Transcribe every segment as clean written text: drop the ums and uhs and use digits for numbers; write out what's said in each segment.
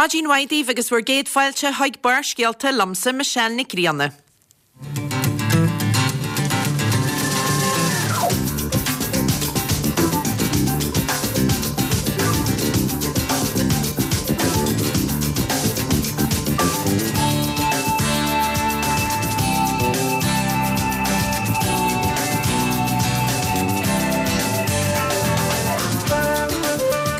Maidin mhaith daoibh agus bhur gcéad fáilte chuig Barrscéalta liomsa Michelle Nic Grianna.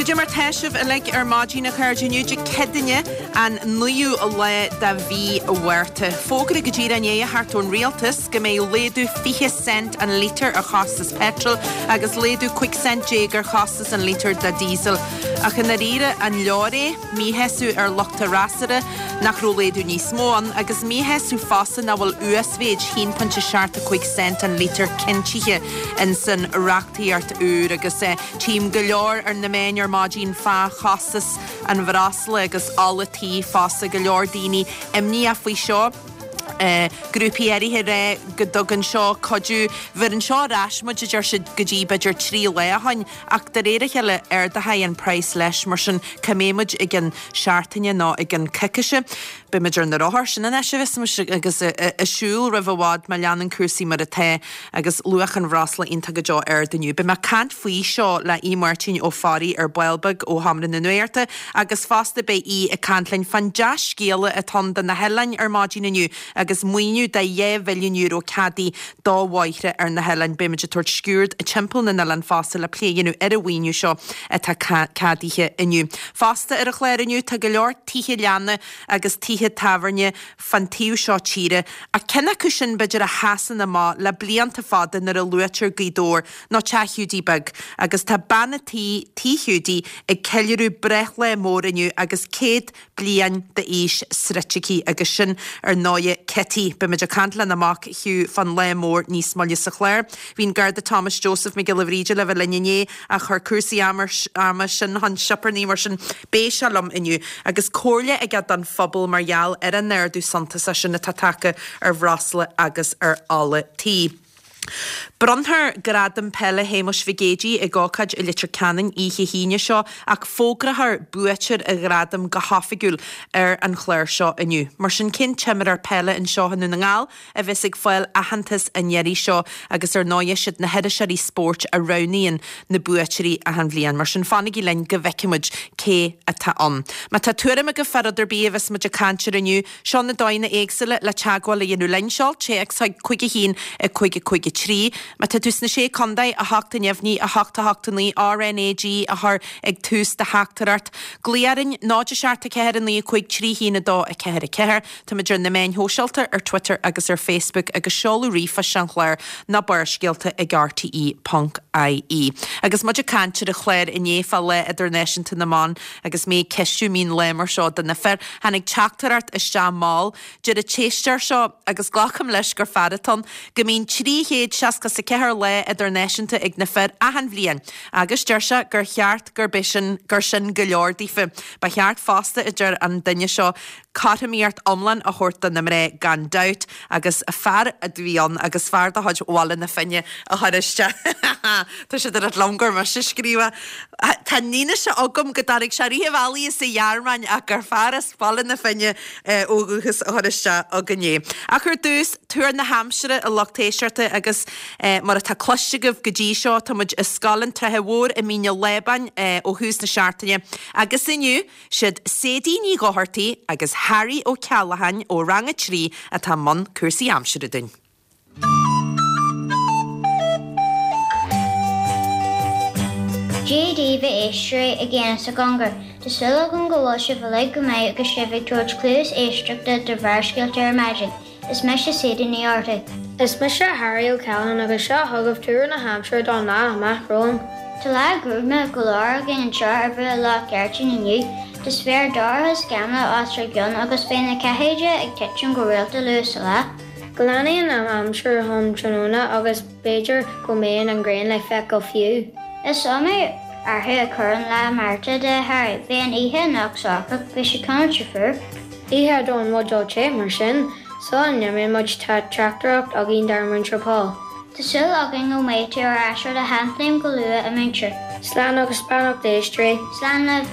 Goidé mar tá sibh uilig ar maidin a chairde inniu Dé Céadaoine an 9ú lá de mhí Mhárta. Fógra go díreach i ndiaidh a theacht ón Rialtas go mbeidh laghdú 20 cent an lítear ar chostas peitril agus laghdú 15 cent ar chostas an lítear de diesel. Ach i ndáiríre, an leor é? Míshásamh ar lucht an fhreasúra nach raibh laghdú níos mó ann agus míshásamh fosta nach bhfuil uasmhéid 1.75 cent an lítear cinntithe insan reachtaíocht úr agus tchím go leor ar na meáin ar maidin fá chostas an bhreosla agus ola tí fosta, go leor daoine imníoch faoi seo. Grúpaí áirithe ag rá go dtugann seo cuidiú. Bheireann seo ar ais muid, a deir siad, go dtí b'fhéidir 3 lá ó shin ach de réir a chéile ardóidh an praghas leis, mar sin cá mbeidh muid i gcionn seachtaine nó i gcionn coicíse? Beidh muid ar na rothair, sin an áit a bheas muid agus ag siúl roimh i bhfad má leanann cúrsaí mar atá agus luach an bhreosla iontach go deo ard inniu. Beidh mé ag caint faoi seo le Aodh Máirtín Ó Fearraigh ar ball beag ó Sheomra na Nuachta agus fosta beidh Aodh ag caint linn fán dea-scéala atá ann do na hoileáin ar maidin inniu agus maoiniú de €2 mhilliún ceadaithe do bhóithre ar na hoileáin. Beidh muid ag tabhairt sciuird timpeall na n-oileán fosta le plé a dhéanamh ar an mhaoiniú seo atá ceadaithe inniu. Fosta ar an chlár inniu tá go leor tithe leanna agus tithe tábhairne fán taobh seo tíre, ach ceann acu sin b'fhéidir a sheasann amach le blianta fada nuair a luaitear Gaoth Dobhair ná Teach Hiúdaí Beag agus tá bean a' tí, Tí Hiúdaí, ag ceiliúradh breithlá mór inniu agus 100 bliain d'aois sroichte aici agus sin ar ndóighe Kitty. Beimid ag caint lena mac Hugh fán lá mór níos moille sa chlár. Bhí an Garda Thomas Joseph Mac Giolla Bhríde le bheith linn inné ach chuir cúrsaí ama sin chun sioparnaí mar sin beidh sé liom inniu agus comhairle aige don phobal mar gheall ar an ardú suntasach sin atá tagtha ar bhreosla agus ar ola tí. Bronnfar Gradam Peile Shéamuis Mhig Éadaigh ag ócáid i Leitir Ceanainn oíche hAoine seo ach fógrófar buaiteoir an ghradaim go hoifigiúil ar an chlár seo inniu. Mar sin cén t-imreoir peile anseo i nDún na nGall a bheas ag fáil aitheantas an iarraidh seo agus ar ndóighe siad na hiriseoirí spóirt a roghnaíonn na buaiteoirí achan bhliain. Mar sin fanaigí linn go bhfeicfidh muid cé atá ann. Má tá tuairim agaibh fá rud ar bith a bheas muid ag caint air inniu, Seo na dóigheanna éagsúla le teagmháil a dhéanamh linn. Seol téacs chuig 5 1 5 5 3. Má tá tú sna Sé Contae, 8 a neamhní, 8 8 9, RnaG a chur ag tús do theachtaireacht. Glaoigh orainn, 0 7 4 9 5 3 1 2 4 4. Táimid ar na meáin shóisialta, ar Twitter agus ar Facebook agus seoladh ríomhphoist an chláir ná Barrscéalta ag rte ponc ie. Agus muid ag caint ar an chlár inné fá Lá Idirnáisiúnta na mBan, Agus mé ag ceistiú an mbíonn lá mar seo do na fir, tháinig teachtaireacht isteach mall. Deir an t-éisteoir seo, agus glacaim leis gur fear atá ann, go mbíonn 364 lá idirnáisiúnta ag na fir achan bhliain, agus deir sé gur cheart gurb é sin, gur sin go leor daofa. Ba cheart fosta, a deir an duine seo, cothromaíocht iomlán a thabhairt do na mná gan dabht agus fear a bhí ann agus fear de chuid Bhaile na Finne a chuir isteach tá siad ag rá liom gur mise a scríobh é. Tá an fhianaise agam go dtáinig sé rith an bhealaigh as an Ghearmáin ach gur fear as Baile na Finne ó dhúchas a chuir isteach againn é. Ach ar dtús, tuar na haimsire a lucht éisteachta agus mar atá cloiste agaibh go dtí seo tá muid i Scoil an tSratha Mhóir i Mín an Lábáin ó thús na seachtaine agus inniu Siad Sadie Ní Dhochartaigh agus Harry Ó Ceallacháin ó Rang 3 atá i mbun cúrsaí aimsire dúinn. Dia daoibh a éisteoirí i gcéin is i gcóngar. Tá súil agam go bhfuil sibh uilig go maith agus sibh ag tabhairt cluas éisteachta do Bharrscéalta ar maidin. Is mise Sadie Ní Dhochartaigh. Is mise Harry Ó Ceallacháin agus seo chugaibh tuar na haimsire don lá amach romhainn. Tá lá gruama go leor againn anseo ar Bhruach Loch Gartan inniu. Tá spéir dorcha scamallach os ár gcionn agus beidh na ceathéide ag titim go rialta luath sa lá. Glanfaidh an aimsir um tráthnóna agus b'fhéidir go mbeidh an ghrian le feiceáil fiú. Is iomaí athrú a chuir an lá Márta de, a Harry. Beidh an oíche anocht socrach, beidh sé cineál fuar. Oíche don bhuidéal te, mar sin, sula n-imíonn muid tá teachtaireacht againn dár Múinteoir Paul. Tá súil againn go mbeidh tú ar ais ar do sheanchéim go luath, a Mhúinteoir. Slán agus beannacht, a éisteoirí. Slán libh.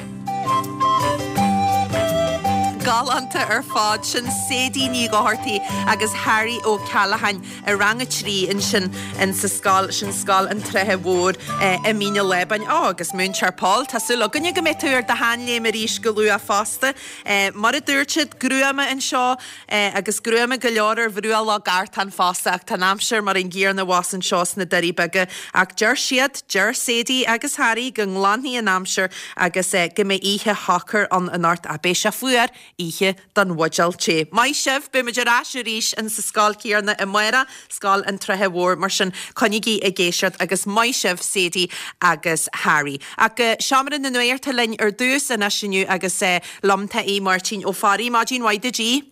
Galánta ar fad. Sin Sadie Ní Dhochartaigh agus Harry Ó Ceallacháin i rang a 3 ansin in sa scoil, sin Scoil an tSratha Mhóir i Mín an Lábáin. Ó, agus Múinteoir Paul, tá súil againne go mbeidh tú ar do sheanléim arís go luath fosta. Mar a dúirt siad, gruama anseo agus gruama go leor ar bhruach Loch Gartán fosta ach tá an aimsir mar an gcéanna abhus anseo sna Doirí Beaga. Ach deir siad, deir Sadie agus Harry go nglanfaidh an aimsir agus go mbeidh oíche shocair ann anocht. Ach beidh sé fuar oíche don bhuidéal tae. Maith sibh, beidh muid ar ais arís in sa scoil chéanna amárach, Scoil an tSratha Mhóir, mar sin coinnígí ag éisteacht agus maith sibh Sadie agus Harry. Ach go Seomra na Nuachta linn ar dtús anois inniu agus liom tá Aodh Máirtín Ó Fearraigh. Maidin mhaith duit Aodh.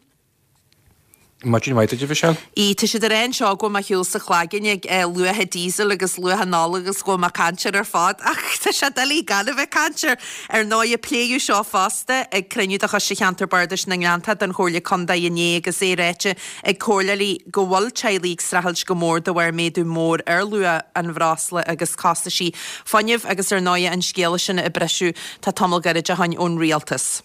Maidin mhaith duit, a Mhichelle. Aodh, tá siad ag rá anseo go bhfuil mé ar shiúl sa chlaigeann ag luacha diesel agus luacha an ola agus go bhfuil mé ag caint air ar fad ach tá sé doiligh gan a bheith ag caint air. Ar ndóigh, pléadh seo fosta ag cruinniú de Choiste Cheantar Bardais na nGleanntach den Chomhairle Contae inné agus é ráite ag comhairleoirí go bhfuil teaghlaigh ag streachailt go mór de bharr méadú mór ar luach an bhreosla agus costaisí fuinnimh agus ar ndóigh an scéala sin a briseadh tá tamall gairid ó shoin ón Rialtas.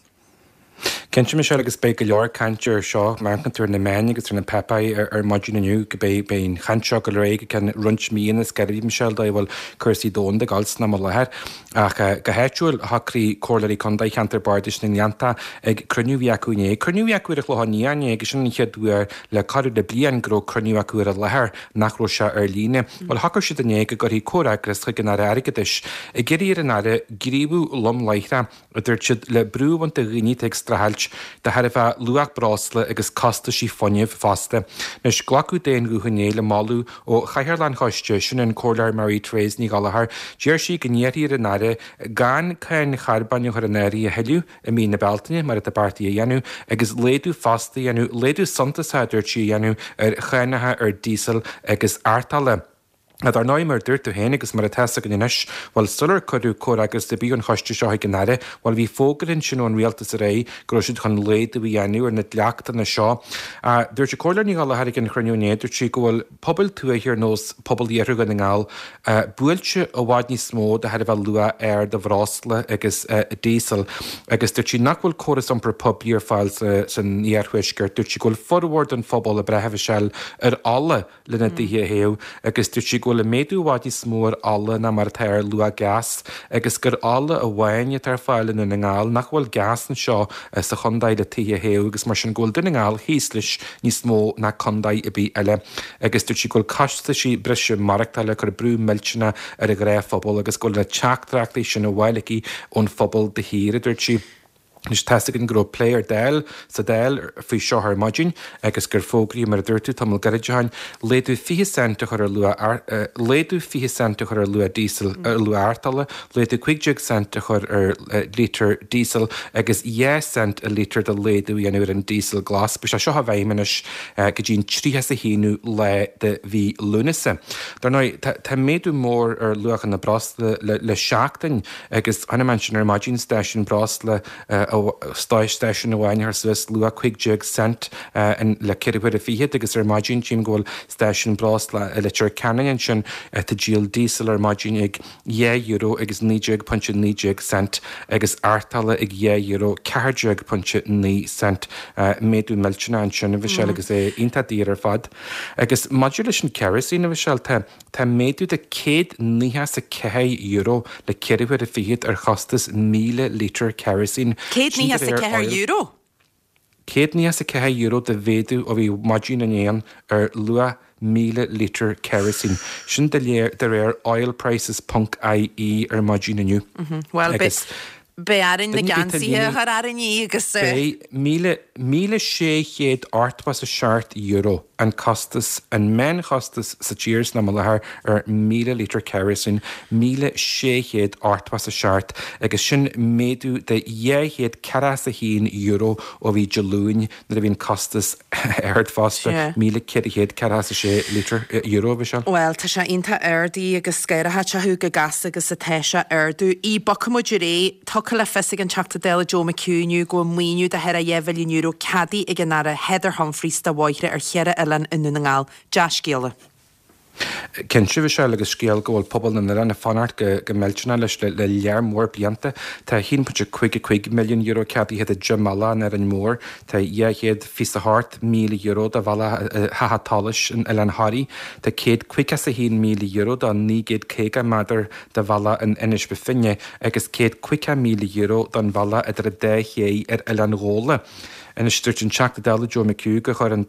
Cinnte, Michelle, agus beidh go leor cainte ar seo, má amharcann tú ar na meáin agus ar na páipéir ar maidin inniu, go beidh beidh an chaint seo ag dul ar aghaidh go ceann roinnt míonna is gairid, Michelle, dóigh a bhfuil cúrsaí domhanda ag dul san am i láthair. Ach go háitiúil, shocraigh Comhairleoirí Contae Cheantar Bardais na nGleanntach ag cruinniú a bhí acu inné, cruinniú a bhí acu ar an Chlochán Liath inné agus sin an chéad uair le corradh le bliain go raibh cruinniú acu ar an láthair nach raibh sé ar líne. Bhuel, shocraigh siad inné go gcuirfí comhfhreagras chuig an Aire Airgeadais ag iarraidh ar an Aire gníomhú lom láithreach a dúirt siad, le brú a bhaint de dhaoine atá ag streachailt de thairbhe luach breosla agus costaisí fuinnimh fosta. Anois, glacadh d'aon ghuth inné le moladh ó Chathaoirleach an Choiste, sin an Comhairleoir Mary Therese Ní Ghallchóir. D'iarr sí go n-iarrfaí ar an Aire gan cáin charbóin a chur in áirithe a thuilleadh i mí na Bealtaine, mar atá beartaithe a dhéanamh, agus laghdú fosta a dhéanamh, laghdú suntasach a dúirt sí, a dhéanamh ar chánacha ar díosal agus artola. Dar ndóigh, mar a dúirt tú féin agus mar atá 'fhios againn anois, bhuel, sular cuireadh comhfhreagras ar bith ón choiste seo chuig an Aire, bhuel, bhí fógra ansin ón Rialtas aréir go raibh siad chun laghdú a dhéanamh ar na dleachtanna seo. Dúirt an Comhairleoir Ní Ghallchóir ag an chruinniú inné, dúirt sí go bhfuil pobail tuaithe ar nós pobal Iarthar Dhún na nGall buailte i bhfad níos mó de thairbhe luach ard an bhreosla agus díosail agus dúirt sí nach bhfuil córas iompair poiblí ar fáil san iarthuaisceart. Dúirt sí go bhfuil formhór den phobal ag brath, a Mhichelle, ar ola. lena dtithe a théamh agus dúirt sí go bhfuil an méadú i bhfad níos mó ar ola ná mar atá ar luach gás agus gur ola amháin atá ar fáil i nDún na nGall, nach bhfuil gás anseo sa chontae le tithe a théamh agus mar sin go bhfuil Dún na nGall thíos leis níos mó ná contae ar bith eile agus dúirt sí go bhfuil costaisí breise maireachtála ag cur brú millteanach ar an ghnáthphobal agus go bhfuil na teachtaireachtaí sin á bhfáil aici ón phobal de shíor, a dúirt sí. Anois tá's againn go raibh plé ar Dáil, sa Dáil faoi seo ar maidin agus gur fógraíodh, mar a dúirt tú tamall gairid ó shin, laghdú 20 cent a chur ar luach, laghdú 20 cent a chur ar luach díosail, ar luach artola, laghdú 15 cent a chur ar lítear díosail agus 2 cent an lítear de laghdú a dhéanamh ar an díosal glas. Beidh sé seo i bhfeidhm anois go dtí an 31ú lá de mhí Lúnasa. Dar ndóigh, tá méadú mór ar luachanna breosla le seachtain. Agus chonaic mé ansin ar maidin stáisiún breosla, stáisiún amháin a chuir suas luach 15 cent le ceithre huaire fichead agus ar maidin tchím go bhfuil stáisiún breosla i Leitir Ceanainn ansin atá ag díol díosal ar maidin ag €2 agus 19.19 cent agus artola ag €2 14.9 cent. Méadú millteanach ansin a Mhichelle agus é iontach daor ar fad. Agus maidir leis an kerosene a Mhichelle, tá. Tá méadú de €194 le ceithre huaire fichead ar chostas 1,000 lítear kerosene. Sin de réir €194? €194 de mhéadú ó bhí maidin inné ar luach 1,000 lítear kerosene. Sin de réir oilprices ponc ie ar maidin inniu. Bhuel, beidh Beidh orainn na geansaithe a chur orainn agus. Beidh €1,687 an costas, an meánchostas sa tír san am i láthair ar 1,000 lítear kerosene, 1,687 agus sin méadú de €241 ó bhí Dé Luain nuair a bhí an costas ard fosta, 1,446 lítear, euro, bhí sé. Bhuel, tá sé iontach ard agus scanraitheach cé chomh gasta agus atá sé ag ardú. Bogfaidh muid ar aghaidh. Tugtha le fios ag an Teachta Dála Joe McHugh inniu go bhfuil maoiniú de thar €2 mhilliún ceadaithe ag an Aire Heather Humphreys do bhóithre ar cheithre oileán i nDún na nGall. Dea-scéala. Cinnte, Michelle, agus scéal go bhfuil pobal na n-oileán ag fanacht go millteanach leis le lear mór blianta. Tá €1.55 milliún ceadaithe do 10 mbealach in Árainn Mhór, tá €228,000 do bhealach Theach a' tSolais in Oileán Thoraí, tá €151,000 do 950 méadar de bhealach in Inis Bó Finne agus €150,000 don bhealach idir an dá ché ar Oileán Ghabhla. Anois, dúirt an Teachta Dála Joe McHugh gur chuir an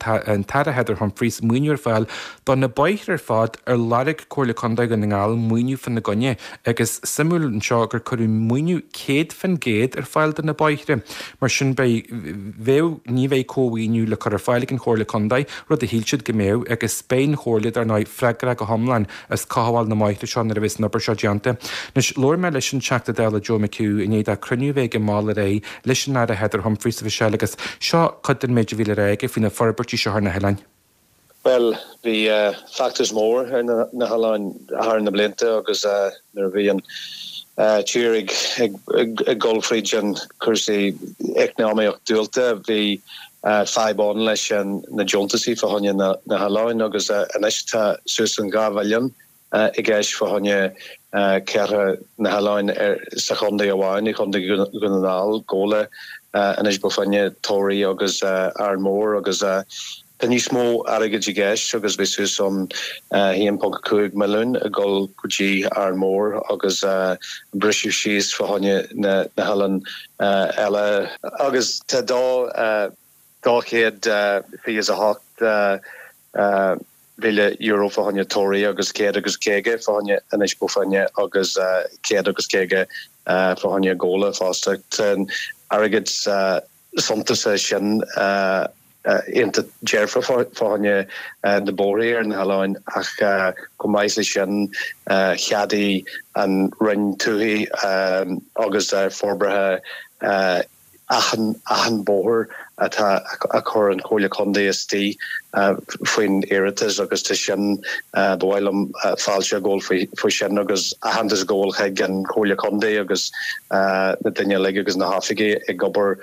tAire Heather Humphreys maoiniú ar fáil do na bóithre ar fad ar lorg Comhairle Contae Dhún na nGall maoiniú fána gcoinne agus suimiúil anseo gur cuireadh maoiniú 100% ar fáil do na bóithre. Mar sin beidh, bheadh, ní bheidh cómhaoiniú le cur ar fáil ag an Chomhairle Contae, rud a shíl siad go mbeadh, agus beidh an Chomhairle, dar ndóigh, freagrach go hiomlán as cothabháil na mbóithre seo nuair a bheas an obair seo déanta. Anois, labhair mé leis an Teachta Dála Joe McHugh i ndiaidh dó cruinniú a bheith aige mall aréir leis an Aire Heather Humphreys, a Mhichelle, agus seo cuid den méid a bhí le rá aige faoi na forbairtí seo ar na hoileáin. Bhuel, bhí feachtas mór ar na hoileáin thar na blianta agus nuair a bhí an tír ag dul fríd an cúrsaí eacnamaíocht diabhalta, bhí fadhb ann leis na deontasaí fá choinne na hoileáin agus anois tá suas an 2 mhilliún i gceist fá choinne ceithre na hoileáin sa chontae amháin, i gContae Dhún na nGall, Gabhla, Inis Bó Finne, Toraigh agus Árainn Mhór agus tá níos mó airgid i gceist agus beidh suas an 1.5 milliún ag dul go dtí Árainn Mhór agus briseadh síos fá choinne na hoileáin eile. Agus tá 228 mhíle euro fá choinne Toraigh agus 150 fá choinne Inis Bó Finne agus 150 fá choinne Gabhla fosta. Tá an airgead suntasach sin iontach dearfa fá choinne na bóithrí ar na hoileáin ach chomh maith leis sin cheadaigh an Roinn Tuaithe agus Forbartha achan achan bóthar atá a chuir an Chomhairle Contae istigh faoin iarratas agus tá sin, ba mhaith liom fáilte a ghabháil faoi sin agus aitheantas a ghabháil chuig an Chomhairle Contae agus na daoine uilig agus na hoifigigh ag obair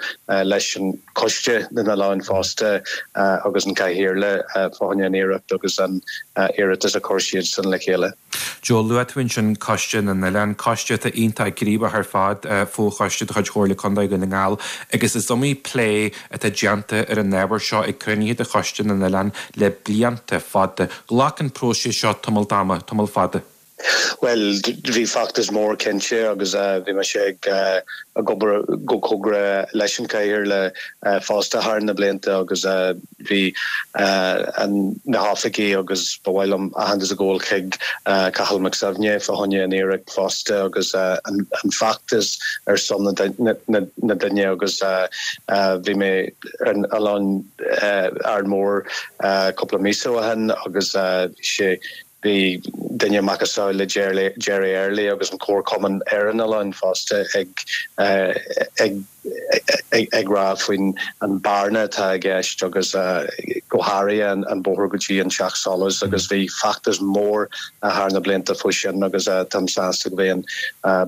leis an Choiste na nOileán fosta agus an Cathaoirleach fá choinne an iarracht agus an iarratas a chuir siadsan le chéile. Joe, luaigh tú ansin Coiste na nOileán, coiste atá iontach gníomhach ar fad, fochoiste de chuid Chomhairle Contae Dhún na nGall, agus is iomaí plé atá déanta ar an ábhar seo ag cruinnithe de Choiste na nOileán le blianta fada. Ghlac an próiseas seo tamall ama, tamall fada. Bhuel, bhí feachtas mór cinnte agus bhí mise ag obair go cóngarach leis an Chathaoirleach fosta thar na blianta agus bhí na hoifigigh agus ba mhaith liom aitheantas a ghabháil chuig Cathal Mac Suibhne fá choinne an iarracht fosta agus an feachtas ar son na daoine agus bhí mé ar an oileán Árainn Mhór cúpla míosa ó shin agus bhí sé Bhí duine macasamhail le Jerry Early agus an Comharchumann ar an oileán fosta ag ag rá faoin an bearna atá i gceist agus go háirithe an bóthar go dtí an Teach Solais agus bhí feachtas mór thar na blianta faoi sin agus táim sásta go mbeidh an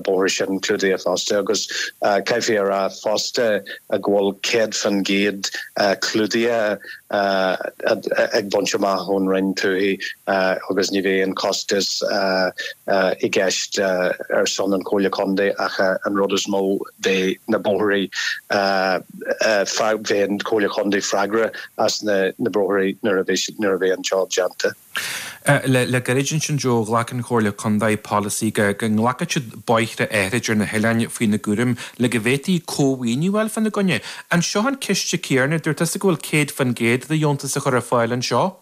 bóthar sin clúdaithe fosta agus caithfidh a rá fosta go bhfuil 100% clúdaithe ag baint amach ón Roinn Tuaithe agus ní bheidh aon chostas i gceist ar son an Chomhairle Contae ach an rud is mó beidh na bóithrí beidh an Chomhairle Contae freagrach as na bóithrí nuair a bheidh an job déanta. Le gairid ansin, Joe, ghlac an Chomhairle Contae polasaí go nglacfadh siad bóithre áithrid ar na hoileáin faoina gcúram le go bhféadfaí cómhaoiniú a fháil fána gcoinne. An seo an ciste céanna? Dúirt tusa go bhfuil 100% de dheontas á chur ar fáil anseo.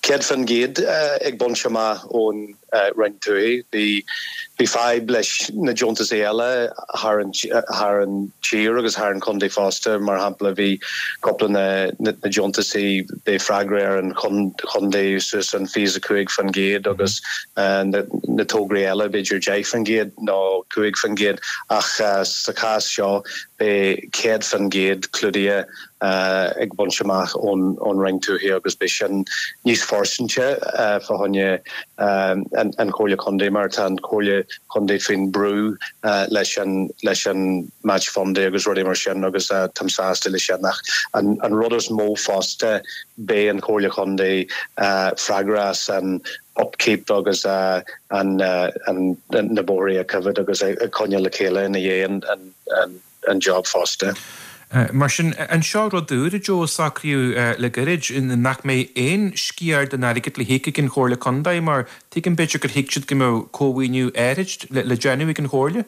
100% ag baint amach ón Roinn Tuaithe. Bhí bhí fadhb leis na deontasaí eile thar an thar an tír agus thar an chontae fosta. Mar shampla bhí cúpla na na deontasaí beidh freagra ar an chontae suas an 25% agus na na tograí eile b'fhéidir 10% nó 5% ach sa chás seo beidh 100% clúdaithe ag baint amach ón Roinn Tuaithe agus beidh sin níos fóirsteanaí fá choinne an Chomhairle Contae mar tá an Chomhairle Contae faoin brú leis an leis an match funding agus rudaí mar sin agus táim sásta leis sin ach an rud is mó fosta beidh an Chomhairle Contae freagrach as an. Upkeep agus an na bóithrí a choimhéad agus a choinneáil le chéile ina dhiaidh an job fosta. Mar sin, an seo rud úr, a Joe, a socraíodh le gairid, nach mbeidh aon sciar den airgead le híoc ag an Chomhairle Contae, mar tuigim b'fhéidir gur thuig siad go mbeadh cómhaoiniú áirid le déanamh ag an Chomhairle?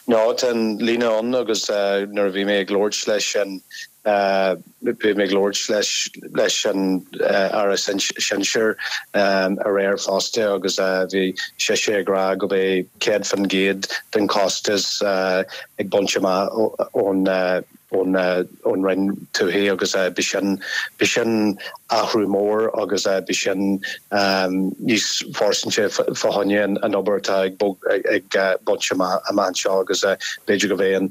No, tá an líne ann agus nuair a bhí mé ag labhairt leis an, bhí mé ag labhairt leis leis an Aire Sinsir aréir fosta agus bhí sise ag rá go mbeidh 100% den chostas ag baint amach ón ón ón Roinn Tuaithe agus b'shin b'shin athrú mór agus b'shin níos fóirsteanaí fá choinne an obair atá ag ag baint amach amach anseo agus b'fhéidir go mbeidh an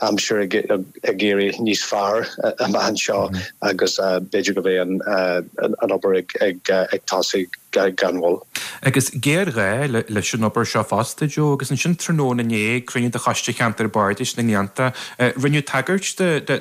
aimsir ag ag éirí níos fearr amach anseo agus b'fhéidir go mbeidh an an obair ag ag ag tosú gan mhoill. Agus géarghá leis an obair seo fosta, Joe, agus ansin tráthnóna inné ag cruinniú de Choiste Cheantar Bardais na nGleannta, rinneadh tagairt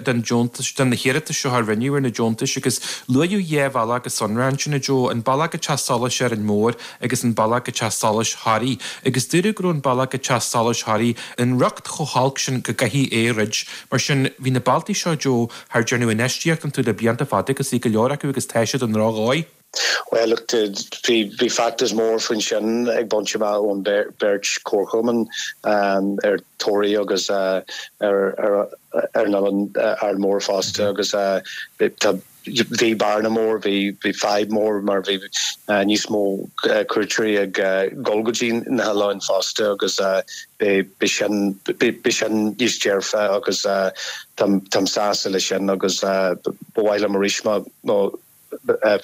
don deontas, do na hiarratais seo a rinneadh ar na deontais agus luaíodh dhá bhealach go sonrath ansin, a Joe, an bealach go Teach Solais Árainn Mhór agus an bealach go Teach Solais Thoraí. Agus dúradh go raibh an bealach go Teach Solais Thoraí i riocht chomh holc sin go gcaithfí é a dhruid. Mar sin, bhí na bealtaí seo, Joe, thar déanadh infheistíocht iontu le blianta fada agus bhí go leor acu agus tá siad i ndrochdhóigh. Bhuel, look, bhí bhí feachtas mór faoin sin ag baint amach ón beirt chomharchumann ar Thoraí agus ar ar an Oileán Árainn Mhór fosta agus tá bhí bearna mór, bhí bhí fadhb mór mar bhí níos mó cuairteoirí ag dul go dtí na hoileáin fosta agus b'shin b'shin níos dearfa agus táim táim sásta leis sin agus ba mhaith liom arís mo mo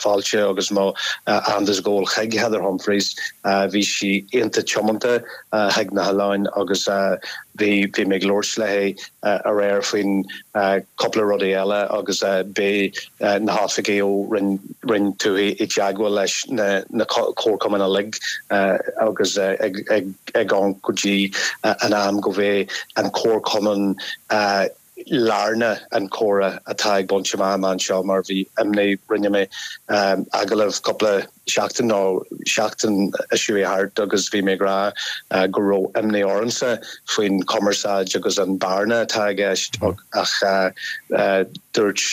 fáilte agus mo aitheantas a ghabháil chuig Heather Humphreys. Bhí sí iontach tiomanta chuig na hoileáin agus bhí bhí mé ag labhairt léi aréir faoin cúpla rudaí eile agus beidh na hoifigigh ó Roinn Roinn Tuaithe i dteagmháil leis na na comharchumainn uilig agus ag ag ag amharc go dtí an am go mbeidh an comharchumann lárna an comhrá atá ag baint amach amach anseo mar bhí imní, rinne mé agallamh cúpla seachtain nó seachtain a chuaigh thart agus bhí mé ag rá go raibh imní ormsa faoin chumarsáid agus an bearna atá i gceist ach dúirt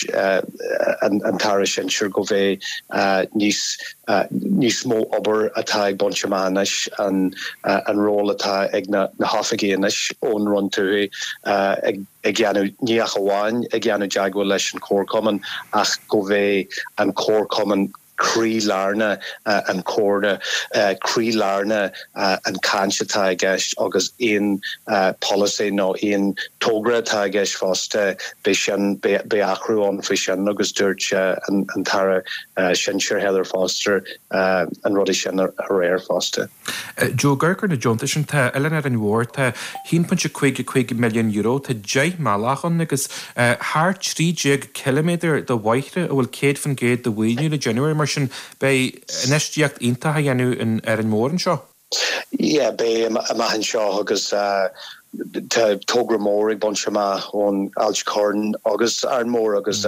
an tAire Sinsir go mbeidh níos níos mó obair atá ag baint amach anois, an ról atá ag na hoifigigh anois ón Roinn Tuaithe ag déanamh, ní ach amháin ag déanamh teagmháil leis an chomharchumann ach go mbeidh an comharchumann croí-lárna an comhrá, croí-lárna an chaint atá i gceist agus aon polasaí nó aon togra atá i gceist fosta, beidh sin, beidh athrú ann faoi sin agus dúirt an tAire Sinsir Heather Foster an rudaí sin aréir fosta. Joe, ag amharc ar na deontais sin, tá Oileán Árainn Mhór, tá €1.55 milliún, tá 10 mbealach ann agus thar 13 ciliméadar de bhóithre a bhfuil 100% de mhaoiniú le déanamh air, mar sin beidh infheistíocht iontach á dhéanamh in Árainn Mhór anseo. Yeah, beidh amach anseo agus tá togra mór ag baint amach ón Ailt Chairn agus Árainn Mhór agus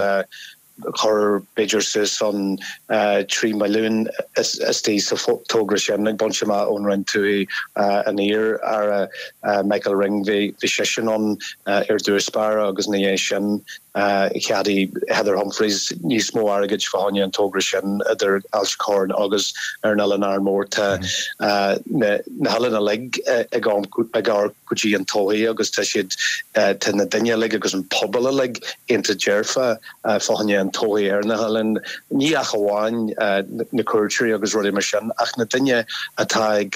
chuir b'fhéidir suas an 3 milliún istigh sa togra sin ag baint amach ón Roinn Tuaithe an iar-Aire Michael Ring. Bhí seisean ann ar dtús báire agus ina dhiaidh sin cheadaigh Heather Humphreys níos mó airgid fá choinne an togra sin idir Ailt Chairn agus ar an Oileán Árainn Mhór. Tá na hoileáin uilig ag amharc go dtí an todhchaí agus tá siad, tá na daoine uilig agus an pobal uilig iontach dearfa fá choinne an todhchaí ar na hoileáin, ní ach amháin na cuairteoirí agus rudaí mar sin, ach na daoine atá ag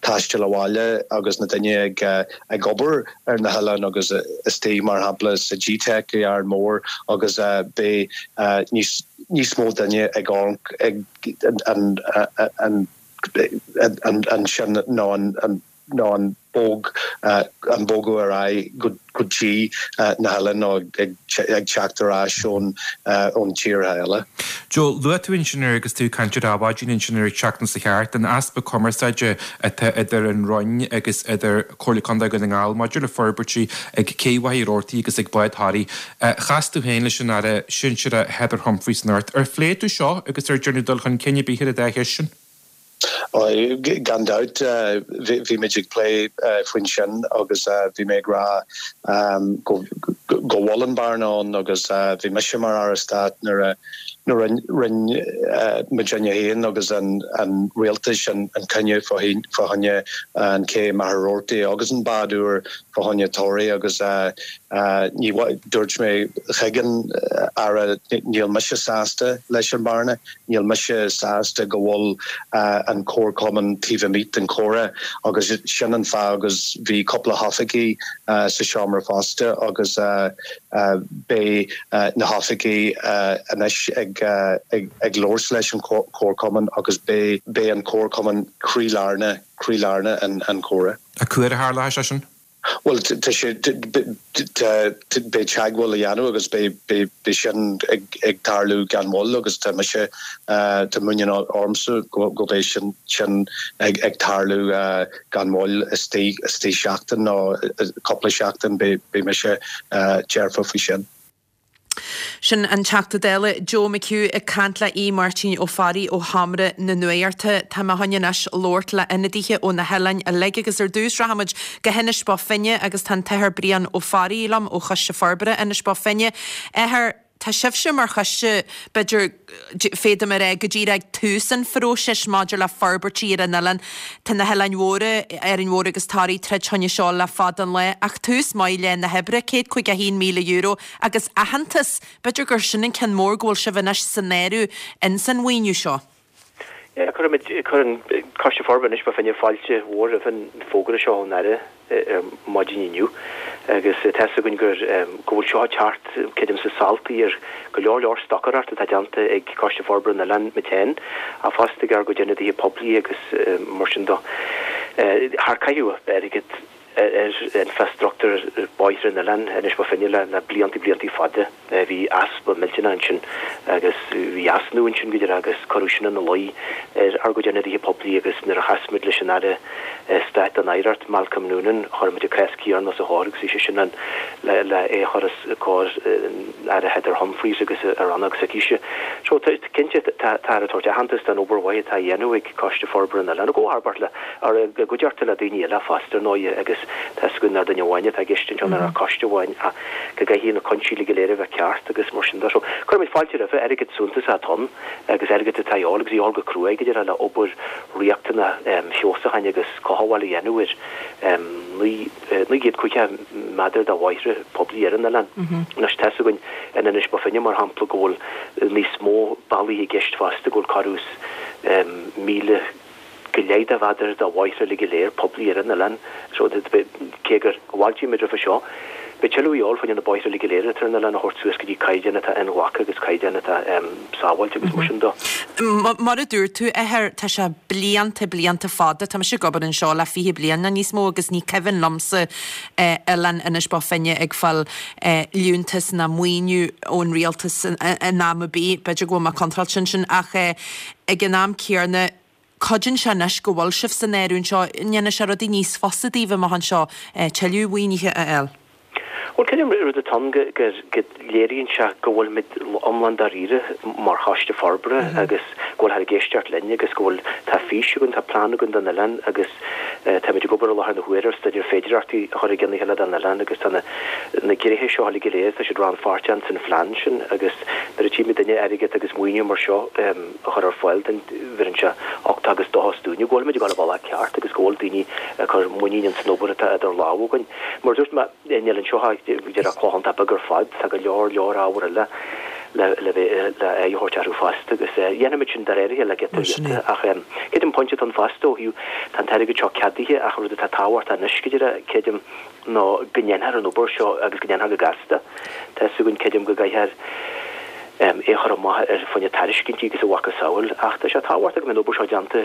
taisteal abhaile agus na daoine ag ag obair ar na hoileáin agus istigh, mar shampla, sa GTeic i Árainn Mhór agus beidh níos níos mó daoine ag amharc ag an an an ansin nó an nó an bog, an bogadh ar aghaidh go dtí na hoileáin nó ag teacht ar ais ón tíortha eile. Joe, luaigh tú ansin ar agus tú ag caint ar Adhmhaidin ansin ar an tseachtain seo thart, an easpa cumarsáide atá idir an Roinn agus idir Comhairle Contae Dhún na nGall maidir le forbairtí ag Cé Mhachaire Rabhartaigh agus ag Bád Thoraí. Chas tú féin leis an Aire Sinsearach Heather Humphreys anocht. Ar phléigh tú seo agus ar déanadh dul chun cinn ar bith ar an dá cheist sin? Gan dabht, bhí muid ag plé faoin sin agus bhí mé ag rá go bhfuil an bearna ann agus bhí mise mar Aire Stáit nuair a rinne muidinne féin agus an rialtais an cinneadh fá choinne an cé Machaire Rabhartaigh agus an bád úr fá choinne Toraigh agus ní dúirt mé chuig an Aire níl mise sásta leis an bearna. Níl mise sásta go bhfuil an comharchumann taobh amuigh den chomhrá agus sin an fáth agus bhí cúpla hoifigigh sa seomra fosta agus beidh na hoifigigh anois ag labhairt leis an chomharchumann agus beidh an comharchumann croílár croílár an chomhrá. Cá huair a tharlóidh sé sin? Bhuel, tá sé, tá, beidh teagmháil á dhéanamh agus beidh, beidh, beidh sin ag, ag tarlú gan mhoill agus tá mise, tá muinín ormsa go, go mbeidh sin, sin ag, ag tarlú gan mhoill istigh, istigh seachtain nó cúpla seachtain, beidh, beidh mise dearfa faoi sin. Sin an Teachta Dála Joe McHugh ag caint le Aodh Máirtín Ó Fearraigh ó Sheomra na Nuachta. Tá mé chun anois labhairt le ionadaithe ó na hoileáin uilig agus ar dtús rachaimid go hInis Bó Finne agus tá an tAthair Brian Ó Fearraigh liom ó Choiste Forbartha Inis Bó Finne. Athair, tá sibhse mar choiste, b'fhéidir, féadaim a rá, go díreach ag tús an phróisis maidir le forbairtí ar an oileán. Tá na hoileáin mhóra, Árainn Mhór agus Toraigh, troid choinne seo le fada an lá, ach tús maith le na hoibre, €151,000 agus aitheantas, b'fhéidir gur sin an ceann mór go bhfuil sibh anois san áireamh ins an mhaoiniú seo. Yeah, cuirimid, cuireann Coiste Forbartha Inis Bó Finne fáilte mhór roimh an bhfógra seo ón Aire ar maidin inniu agus tá fhios againn gur, go bhfuil seo ag teacht, creidimse, samhaltaí ar go leor leor stocaireacht atá déanta ag Coiste Forbartha na nOileán muid féin ach fosta ag ár gcuid ionadaithe poiblí agus mar sin de. Char caitheadh airgead ar infreastruchtúr bóithre an oileáin, Inis Bó Finne, le blianta, blianta fada. Bhí easpa millteanach ansin agus bhí easnamh ansin go deimhin agus cuireadh sin ina luí ar ár gcuid ionadaithe poiblí agus nuair a chas muid leis an Aire Stáit don Oidhreacht, Malcolm Noonan, chuir muid an cás céanna os a chomhair agus bhí sé sin ann le é a chur os comhair an Aire Heather Humphreys agus a rannóg s'aicise. So, cinnte, táthar ag tabhairt aitheantas don obair mhaith atá á dhéanamh ag Coiste Forbartha na n-Oileán, i gcomharbairt le, i gcuideachta le daoine eile fosta, ar ndóighe, agus tá fhios againn nach duine amháin atá i gceist anseo, ná coiste amháin, ach go gcaithfidh na cúinsí uilig go léir a bheith ceart agus mar sin de. So, cuirimid fáilte roimhe, airgead suntasach atá ann agus airgead atá a dhíobháil agus a dhíobháil go cruaidh, go deimhin, le obair riachtanach feabhsúcháin agus cothabháil a dhéanamh ar 950 méadar de bhóithre poiblí ar an oileán. Anois, tá fhios againn in Inis Bó Finne, mar shampla, go bhfuil níos mó bealaí i gceist fosta, go bhfuil corradh is 1,000 go leith de mhéadar de bhóithre uilig go léir poiblí ar an oileán. So, cé gur fháiltigh muid roimhe seo, beidh tuilleadh a dhíobháil fá choinne na bóithre uilig go léir atá ar an oileán a thabhairt suas go dtí caighdeán atá inghlactha agus caighdeán atá sábháilte agus mar sin de. Mar a dúirt tú, Athair, tá sé blianta, blianta fada, tá mise ag obair anseo le 20 bliain nó níos mó agus ní cuimhin liomsa oileán Inis Bó Finne ag fáil liúntas ná maoiniú ón rialtas in am ar bith, b'fhéidir go bhfuil mé contráilte ansin ach ag an am céanna, cuidíonn sé anois go bhfuil sibh san áireamh anseo, ndéanfaidh sé rudaí níos fusa daoibh amach anseo tuilleadh mhaoinithe a fháil. Bhuel, creidim rud atá ann go léiríonn sé go bhfuilimid iomlán dáiríre mar choiste forbartha agus go bhfuilthear ag éisteacht linn agus go bhfuil, tá fís againn, tá plean againn don oileán agus táimid ag obair i láthair na huaire ar staidéar féidearthachtaí a chur i gcionn a chéile don oileán agus tá na na gnéithe seo uilig go léir, tá siad rannpháirteach san phlean sin agus nuair a tchímid duine airgead agus maoiniú mar seo, a chur ar fáil dúinn, bheireann sé uchtach agus dóchas dúinne go bhfuilimid ag dul an bealach ceart agus go bhfuil daoine ag cur muinín ins an obair atá idir lámha againn. Mar a dúirt mé, níl anseo ach díreach cloch iontach beag ar fad, tá go leor leor ábhar eile le le bheith le aghaidh a thabhairt orthu fosta agus dhéanfaimid sin de réir a chéile giota giota ach creidim pointe atá ann fosta ó thaobh tá an t-airgead seo ceadaithe ach rud atá tábhachtach anois go díreach creidim ná go ndéanfar an obair seo agus go ndéanfar go gasta. Tá fhios againn, creidim, go gcaithfear é a chur amach ar fá choinne tairiscintí agus a mhacasamhail, ach tá sé tábhachtach go mbeidh an obair seo déanta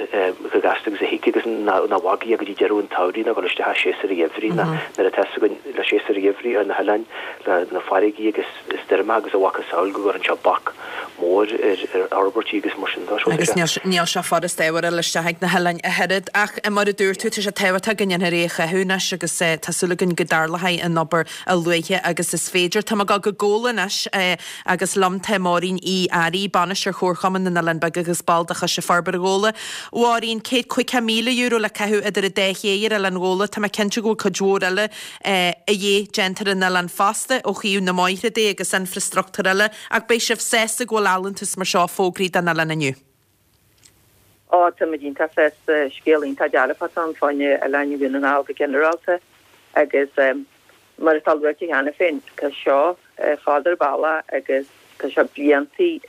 chomh gasta agus a thig agus nach bhfágfaí é go dtí deireadh an tsamhraidh ná dul isteach i séasúr an gheimhridh ná nuair atá fhios againn le séasúr an gheimhridh ar na hoileáin le na farraigí agus stoirmeacha agus a mhacasamhail go gcuireann sé bac mór ar fhorbairtí agus mar sin de. Agus níl sé furast ábhar a fháil isteach ag na hoileáin ach oiread. Ach mar a dúirt tú, tá sé tábhachtach go ndéanfar é a chaitheamh anois agus tá súil againn go dtarlóidh an obair a luaithe agus is féidir. Tá mé ag dul go Gabhla anois agus liom tá. Máirín Uí Fhearraigh, Bainisteoir Chomharchumann na nOileán Beag agus ball de Choiste Forbartha Ghabhla. Mháirín, €150,000 le caitheamh idir an dá ché ar Oileán Ghabhla. Tá mé cinnte go bhfuil cuid mhór eile a dhíth déanta ar an oileán fosta ó thaobh na mbóithre de agus infreastruchtúr eile ach beidh sibh sásta go bhfuil allúntas mar seo fógraithe don oileán inniu. Á, tá muid iontach sásta. Scéal iontach dearfach atá ann fá choinne Oileáin Dhún na nGall go ginearálta agus mar atá luaite cheana féin, tá seo fada ar bealach agus tá sé bliantaí,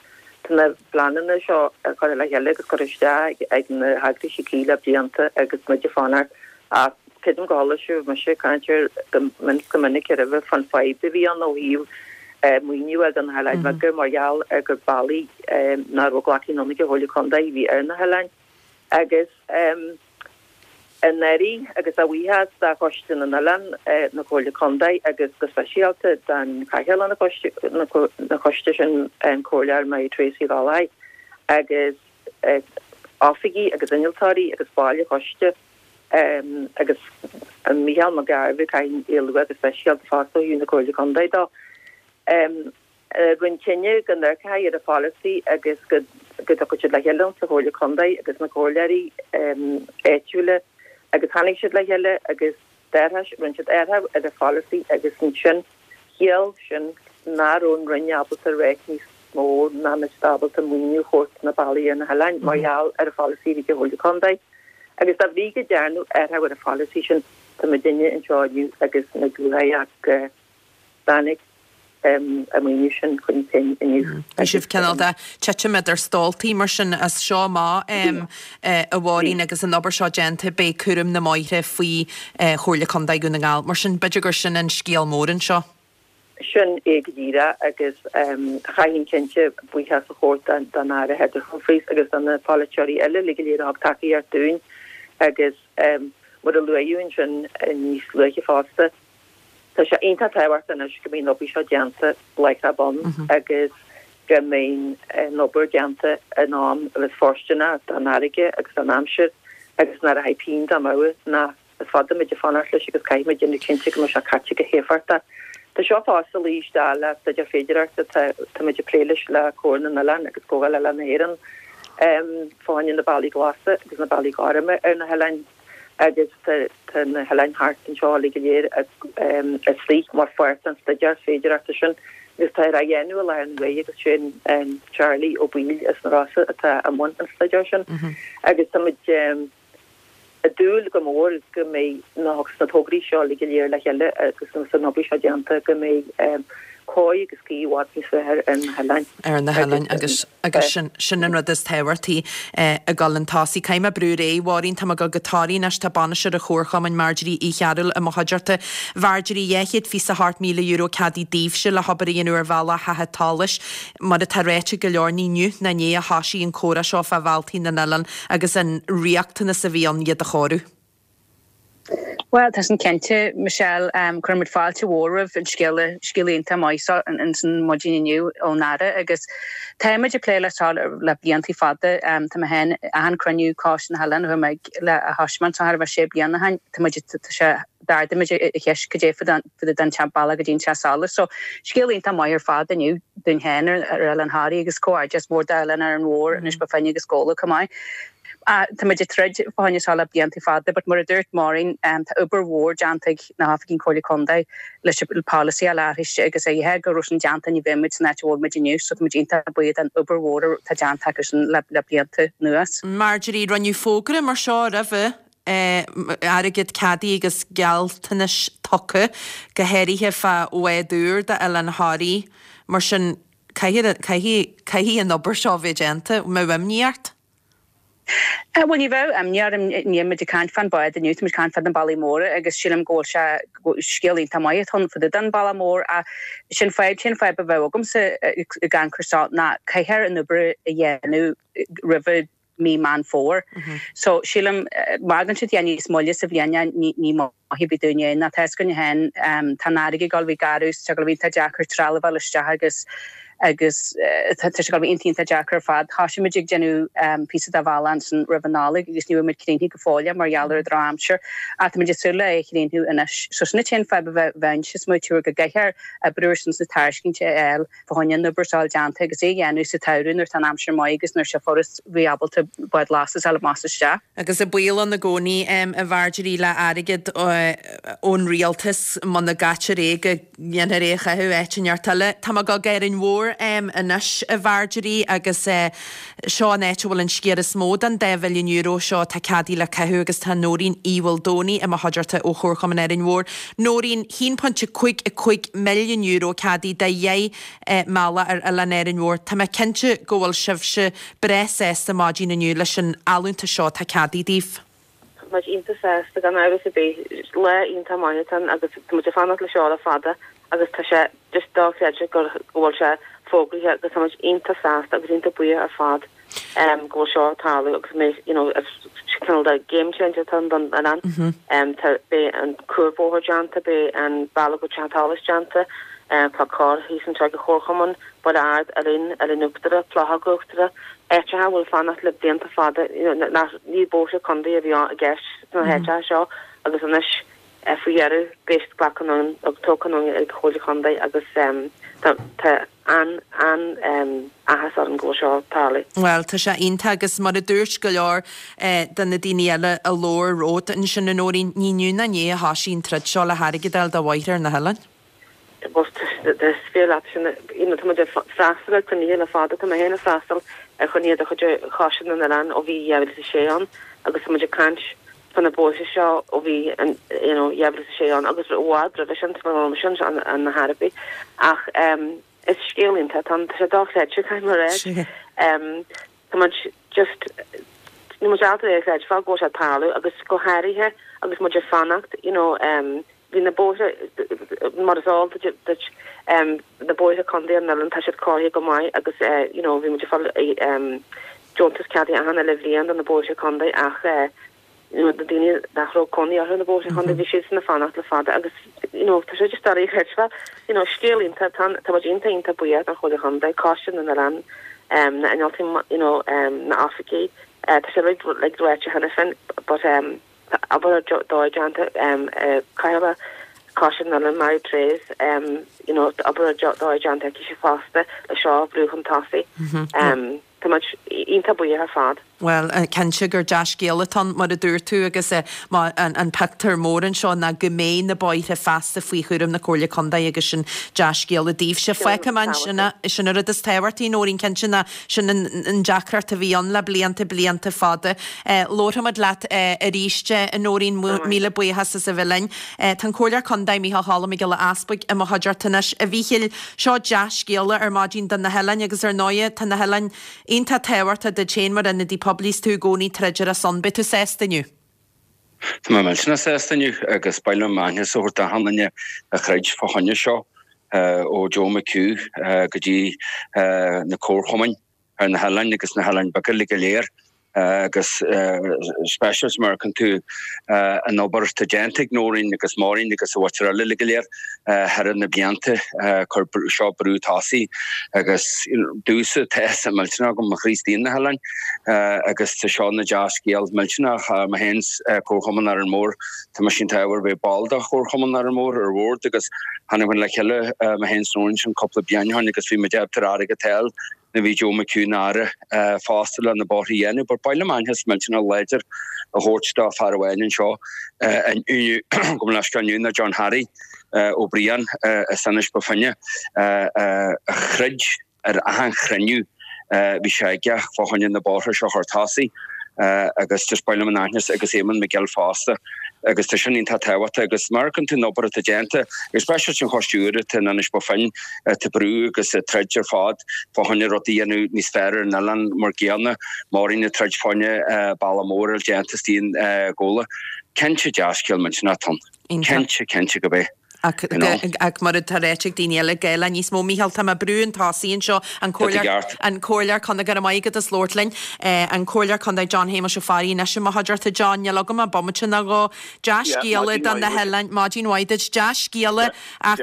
tá na pleananna seo curtha le chéile agus curtha isteach ag na heagraisí cuí le blianta agus muid ag fanacht ach creidim go chuala sibh mise ag caint air go go minic roimhe fán fadhb a bhí ann ó thaobh maoiniú a fháil do na hoileáin bheaga mar gheall ar gur bealaí nach raibh glactha anonn ag an Chomhairle Contae a bhí ar na hoileáin agus anuraidh agus a bhuíochas do Choiste na nOileán na Comhairle Contae agus go speisialta don Chathaoirleach na choiste sin an Comhairleoir Mary Therese Uí Ghallchóir agus oifigigh agus innealtóirí agus baill an choiste agus Mícheál Mac Gairbheith, caithfidh é a lua go speisialta fosta ó thaobh na Comhairle Contae dó. Rinneadh cinneadh go n-amharcfaí ar an pholasaí agus go dtiocfadh siad le chéile sa Chomhairle Contae agus na comhairleoirí áitiúla agus tháinig siad le chéile agus d'athraigh, rinne siad athrú ar an pholasaí agus ansin chiall sin nach raibh an Roinn ábalta ráit níos mó nach mbeadh siad ábalta maoiniú a thabhairt do na bealaí ar na hoileáin mar gheall ar an pholasaí a bhí ag an Chomhairle Contae agus dá bhrí go dtearnadh athrú ar an pholasaí sin tá muidinne anseo inniu agus muid lúcháireach go dtáinig an maoiniú sin chun cinn inniu. Bhí sibh cineál de titim idir stóltaí mar sin as seo amach a Mháirín agus an obair seo déanta beidh cúram na mbóithre faoi Chomhairle Contae Dhún na nGall. Mar sin b'fhéidir gur sin an scéal mór anseo. Sin é go díreach agus chaithfinn cinnte buíochas a thabhairt don Aire Heather Humphreys agus do na polaiteoirí eile uilig go léir a thug tacaíocht dúinn agus mar a luadh ansin níos luaithe fosta, Tá sé iontach tábhachtach anois go mbeidh an obair seo déanta láithreach bonn agus go mbeidh an obair déanta in am agus fóirsteanach don fharraige agus don aimsir agus nach rachaidh pingin dá amú ná is fada muid ag fanacht leis agus caithfidh muid déanamh cinnte go mbeidh sé caite go héifeachtach. Tá seo fosta ag luí isteach le staidéar féidearthachta atá tá muid ag plé leis le Comhar na nOileán agus Comhdháil Oileán na hÉireann fá choinne na bealaí glasa agus na bealaí gorma ar na hoileáin. agus tá na hoileáin thart anseo uilig go léir istigh mar pháirt den staidéar féidearthachta sin agus tá á dhéanamh i láthair na huaire agus sé an Charlie Ó Baoill as na Rosa atá i mbun an staidéir sin agus tá muid ag dúil go mór go mbeidh na na tograí seo uilig go léir le chéile agus an obair seo déanta go mbeidh cóir agus caoi i bhfad níos fearr ar na hoileáin. Ar na hoileáin agus Agus sin, sin an rud is tábhachtaí ag dul chun tosaigh. Caithfidh mé brú ar aghaidh, a Mháirín, tá mé ag dul go Toraigh anois, tá bainisteoir an Chomharchumainn, Marjorie Uí Chearúil, i mo chuideachta. Marjorie, €228,000 ceadaithe daoibhse le hobair a dhéanamh ar bhealach Theach an tSolais. Mar atá ráite ag go leor, ní inniu ná inné a thoisigh an comhrá seo fá bhealtaí na n-oileán agus an riachtanas a bhí ann iad a chóiriú. Bhuel, tá sin cinnte, Michelle. Cuireann muid fáilte mhór roimh an scéala, scéala iontach maith seo ins an maidin inniu ón Aire agus táimid ag plé leis seo le bliantaí fada. Tá mé féin, achan cruinniú Coiste na hOileán a chuaigh mé ag le a thoisigh mé anseo thart fá sé bliana ó shin, tá muid, tá sé, d'ardaigh muid an cheist cad é fá dtaobh den bealach go dtí an Teach Solais. So, scéal iontach maith ar fad inniu dúinn féin ar Oileán Thoraí agus comhghairdeas mór d'Oileán Árainn Mhór, Inis Bó Finne agus Gabhla chomh maith. Tá muid ag troid fá choinne seo le blianta fada but mar a dúirt Máirín tá obair mhór déanta ag na hoifigigh Comhairle Contae leis an polasaí a leathrú agus a dhíth go raibh sin déanta ní bheadh muid san áit a bhfuil muid inniu so tá muid iontach buíoch den obair mhór atá déanta acu sin le blianta anuas. Marjorie, Rinneadh fógra mar seo roimhe, airgead ceadaithe agus gealltanais tugtha, go háirithe fá bhád úr d'Oileán Thoraí, mar sin caithfidh, caithfidh, caithfidh an obair seo a bheith déanta. Mbeadh imní ort? Bhuel, ní bheadh imní orm. Níl muid ag caint fán bád inniu, tá muid ag caint fá na bealaí móra agus sílim go bhfuil sé, scéal iontach maith atá ann fá dtaobh den bealach mór ach sin fadhb, sin fadhb a bheadh agamsa ag amharc air seo ná caithfear an obair a dhéanamh roimhe mí Meán Fómhair. So sílim má fhágann siad é níos moille sa bhliain ní, ní maith ar bith dúinn é ná tá a fhios againn féin, tá an fharraige ag dul a bheith garbh, tá sé ag dul a bheith iontach deacair trealamh a fháil isteach agus. Agus tá sé ag dul a bheith iontach iontach deacair ar fad. Thoisigh muid ag déanamh píosa de bhealach ansin roimh an Nollaig agus ní raibh muid críochnaithe go fóill mar gheall ar an drochaimsir ach tá muid ag súil le é a chríochnú anois. So sin an t-aon fadhb a bheinnse ag smaoitiú go gcaithfear oibriú ar son na tairiscintí a fháil fá choinne an obair seo a fháil déanta agus é a dhéanamh sa tsamhradh nuair atá an aimsir maith agus nuair sé furast bheith ábalta bád lastas a fháil amach is isteach. Agus an baol ann i gcónaí a Mharjorie le airgead ón rialtas muna gcaitear é go ndéanfar é a chaitheamh áit inteacht eile. Tá mé ag dul go Árainn Mhór anois a Mharjorie agus seo an áit a bhfuil an sciar is mó den €2 mhilliún seo atá ceadaithe le caitheamh agus tá Nóirín Uí Mhaoldomhnaigh i mo chuideachta ó Chomharchumann Árainn Mhór. Nóirín, €1.55 milliún ceadaithe do dheich mbealach ar oileán Árainn Mhór. Tá mé cinnte go bhfuil sibhse breá sásta maidin inniu leis an allúntas seo atá ceadaithe daoibh. Tá muid iontach sásta, gan amhras ar bith. Lá iontach maith atá ann agus tá muid ag fanacht le seo le fada agus tá sé just dochreidte go bhfuil sé fógraithe agus tá muid iontach sásta agus iontach buíoch ar fad go bhfuil seo ag tarlú agus mé you know is cineál de game changer atá ann don oileán. Tá beidh an cuarbhóthar déanta, beidh an bealach go Teach an tSolais déanta, tá carr thíos anseo ag an Chomharchumann, Baile Ard, Oileán, Oileán Uachtarach, Clochóg Uachtarach, áiteacha a bhfuil fanacht le blianta fada, nach, ní bóithre contae a bhí i gceist sna háiteacha seo agus anois faoi dheireadh beidh siad glactha anonn agus tógtha anonn ag an Chomhairle Chontae agus tá tá an an-áthas orainn go bhfuil seo ag tarlú. Bhuel, tá sé iontach agus mar a dúirt go leor de na daoine eile a labhair romhat ansin, a Nóirín, ní inniu ná inné a thoisigh an troid seo le hairgead a fháil do bhóithre ar na hoileáin. Bhuel, is fíor leat sin. You know, tá muid ag freastal ar chruinnithe le fada. Tá mé féin ag freastal ar chruinnithe de chuid Choiste na nOileán ó bhí 2006 ann agus tá muid ag caint fá na bóithre seo ó bhí an, you know, 2006 ann agus i bhfad roimhe sin, sula raibh mise ann, ar chor ar bith. Ach em, is scéal iontach atá ann. Tá sé dochreidte, caithfidh mé a rá. Em, tá muid just, níl muid ábalta é a chreidbheáil go bhfuil sé ag tarlú agus go háirithe agus muid ag fanacht, you know, em, Bhí na bóithre, mar is eol duit, na bóithre contae ar an oileán, tá siad cóirithe go maith agus you know bhí muid ag fáil deontas ceadaithe achan uile bhliain do na bóithre contae ach you know na daoine nach raibh cónaí orthu na bóithre contae bhí siadsan ag fanacht le fada agus you know tá sé just doiligh a chreidbheáil. You know scéal iontach, tá tá muid iontach iontach buíoch don Chomhairle Chontae, Coiste na nOileán, na innealtóirí you know na oifigigh, tá sé uilig like ráite cheana féin but Tá obair ar dóigh déanta ag Cathaoirleach Choiste na nOileán, Mary Therese, you know, tá obair ar dóigh déanta aici fosta le seo a bhrú chun tosaigh. Tá muid iontach buíoch ar fad. Bhuel, cinnte gur dea-scéal atá ann, mar a dúirt tú, agus an pictiúr mór anseo ná go mbeidh na bóithre feasta faoi chúram na Comhairle Contae agus sin dea-scéala daoibhse. Fágfaidh mé ansin é, sin an rud is tábhachtaí, Nóirín, cinnte ná Sin an deacracht a bhí ann le blianta, blianta fada. Labharfaimid leat arís, a Nóirín, míle buíochas as a bheith linn. Tá an Comhairleoir Contae, Micheál Choilm Mac Giolla Easbuig, i mo chuideachta anois. A Mhíchíl, seo dea-scéala ar maidin do na hoileáin agus ar ndóighe tá na hoileáin iontach tábhachtach duit féin mar ionadaí poiblí is tú i gcónaí ag troid ar a son. Beidh tú sásta inniu. Tá mé millteanach sásta inniu agus ba mhaith liom aitheantas a thabhairt d'achan duine a throid fá choinne seo, ó Joe McHugh go dtí na comharchumainn ar na hoileáin agus na hoileáin beaga uilig go léir agus speisialta mar a fheiceann tú an obair atá déanta ag Nóirín agus Máirín agus an mhuintir eile uilig go léir thar na blianta chuir seo brú tosaigh agus domhsa tá áthas millteanach agam mo chroí istigh ar na hoileáin agus tá seo ina dea-scéal millteanach. Mé féin Comharchumann Árainn Mhór, tá mise iontach ádhúil bheith ball de Chomharchumann Árainn Mhór ar bhord agus tháinig muid le chéile mé féin is Nóirín sin cúpla bliain ó shin agus bhí muid ábalta airgead a fháil nuair a bhí Joe McHugh ina Aire fosta le na bóithre a dhéanamh. But ba mhaith liom aitheantas millteanach láidir a thabhairt do fear amháin anseo inniu, gabh mo leithscéal inniu ná John Harry Ó Briain as Inis Bó Finne a throid ar achan chruinniú bhí sé aige fá choinne na bóithre seo a chur tosaigh agus just ba mhaith liom an aitheantas agus Éamonn McGill fosta agus tá sin iontach tábhachtach agus mar a fheiceann tú an obair atá déanta agus speisialta an choiste úr atá in Inis Bó Finne atá brú agus ag troid ar fad fá choinne rudaí a dhéanamh níos fearr ar an oileán mar gcéanna Máirín ag troid fá choinne bealach mór a déanta istigh in Gabhla. Cinnte dea-scéal millteanach atá ann. Cinnte, cinnte gurb é. Ach ach mar atá ráite ag daoine eile, gá le níos mó. Mícheál, tá mé ag brú chun tosaigh anseo, an Comhairleoir, an Comhairleoir Contae, go raibh maith agat as labhairt linn, an Comhairleoir Contae John Shéamuis Ó Fearraigh anois i mo chuideachta. John, níl agam ach bomaite nó dhó. Dea-scéala do na hoileáin, maidin mhaith duit, dea-scéala ach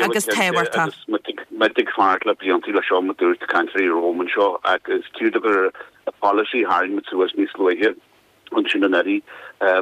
agus tábhachtach. Agus muid ag fanacht le blianta le seo, mar a dúirt cainteoirí romham anseo, agus cíor gur polasaí a tharraing muid suas níos luaithe. ansin anuraidh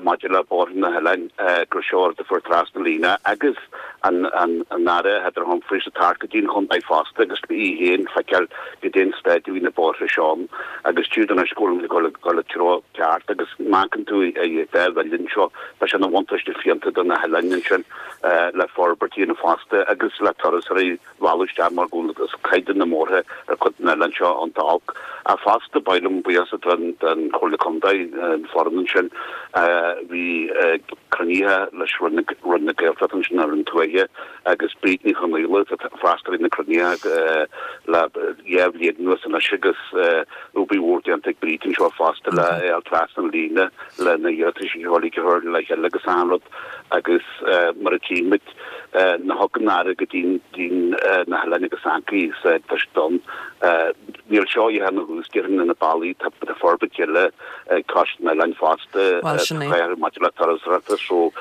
maidir le bóithre na hoileáin gur seo rud a fuair trasna líne agus an an Aire Heather Humphreys ag teacht go dtí an chontae fosta agus í féin feiceáil goidé an staid a bhí na bóithre seo ann agus tchíd anois go bhfuil muid ag dul ag dul i treo ceart agus má amharcann tú ar dá mhilliún seo tá sé ina bhuntáiste fiúntach do na hoileáin ansin le forbairt a dhéanamh fosta agus le turasóirí mhealladh isteach mar go bhfuil caighdeán na mbóithre ar chuid den oileán seo iontach olc. Ach fosta, ba mhaith liom buíochas a thabhairt don Chomhairle Contae, an foireann ansin a bhí ag cruinnithe leis Roinn na Gaeltachta ansin, an Roinn Tuaithe agus Bríd Ní Chonaola atá ag freastal ar na cruinnithe le dhá bhliain anuas anois agus obair mhór déanta ag Bríd anseo fosta le fháil trasna na líne le na hiarratais a chur le chéile agus achan rud agus mar a tchímid Nuair a thug an Aire go dtí na hoileáin agus ancaí sa tá ann. Níl seo ach ina thús, déarfainn, na bealaí, tá forbairt eile ag cois na n-oileán fosta, maidir le turasóireachta so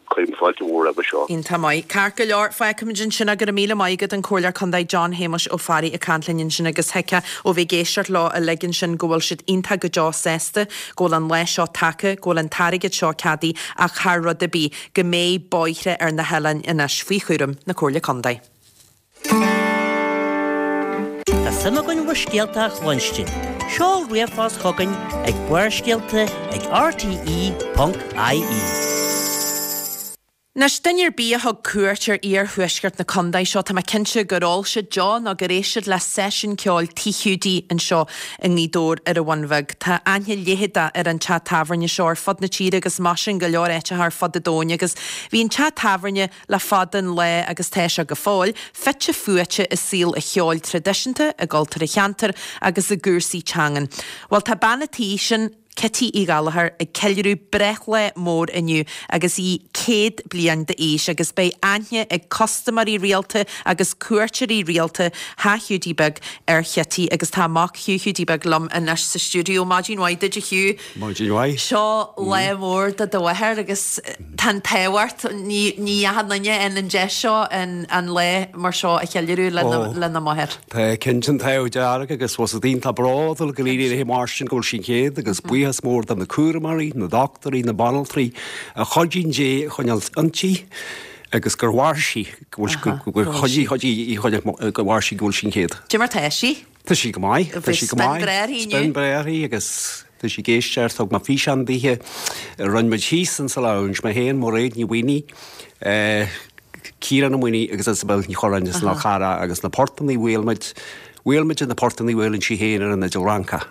cuirim fáilte mhór roimhe seo. Iontach maith. Ceart go leor, fágfaimid ansin é. Go raibh míle maith agat, an Comhairleoir Contae John Shéamuis Ó Fearraigh ag caint linn ansin agus thuigfeá ó bheith ag éisteacht leo uilig ansin go bhfuil siad iontach go deo sásta go bhfuil an lá seo tagtha, go bhfuil an t-airgead seo ceadaithe ach thar rud ar bith, go mbeidh bóithre ar na hoileáin anois faoi chúram na Comhairle Contae. Tá suim againn bhur scéalta a chluinstin. Seol ríomhphost chugainn ag barrscéalta ag rte.ie. Anois, duine ar bith a thug cuairt ar iarthuaisceart na contae seo, tá mé cinnte gur ól siad deoch nó gur éist siad le seisiún ceoil Tigh Hiúdaí anseo i nGaoth Dobhair ar an Bhun Bheag. Tá aithne leitheadach ar an teach tábhairne seo ar fud na tíre agus mar sin go leor áiteacha ar fud an domhain agus bhí an teach tábhairne le fada an lá agus tá sé go fóill, fite fuaite i saol an cheoil traidisiúnta, i gcultúr an cheantair agus i gcúrsaí teangan. Bhuel tá bean an tí sin, Cití Uí Ghallchóir ag ceiliúradh breithlá mór inniu agus í 100 bliain d'aois agus beidh aithne ag custaiméirí rialta agus cuairteoirí rialta Theach Hiúdaí Beag ar Chití agus tá a mac Hugh Hiúdaí Beag liom anois sa stiúideo. Maidin mhaith duit a Hugh. Maidin mhaith. Seo lá mór do do mháthair agus tá an t-ádh ort, ní ní achan duine a fhaigheann an deis seo an lá mar seo a cheiliúradh lena máthair. Tá cinnte an t-ádh dearg agus bhfuil 's agat iontach bródúil go léiríonn é mar sin go bhfuil sí céad agus buíochas mór do na cúramóirí, na dochtúirí, na banaltraí a chuidíonn di a choinneáil inti agus gur mhair sí, go bhfuil go chuidigh chuidigh í choinneáil go mhair sí go bhfuil sí céad. Cad é mar tá sí? Tá sí go maith, tá sí go maith. Spin breá uirthi inniu. Spin breá uirthi agus tá sí ag éisteacht, thug mé físeán dithe, rinne muid thíos insa lounge, mé féin, Mairéad Ní Mhaonaigh, Ciarán Ó Maonaigh agus Isabel Ní Churráin as an Fhál Carrach agus na portannaí a bhuail muid, bhuail muid na portannaí a bhuaileann sí féin ar an fhidil Fhrancach.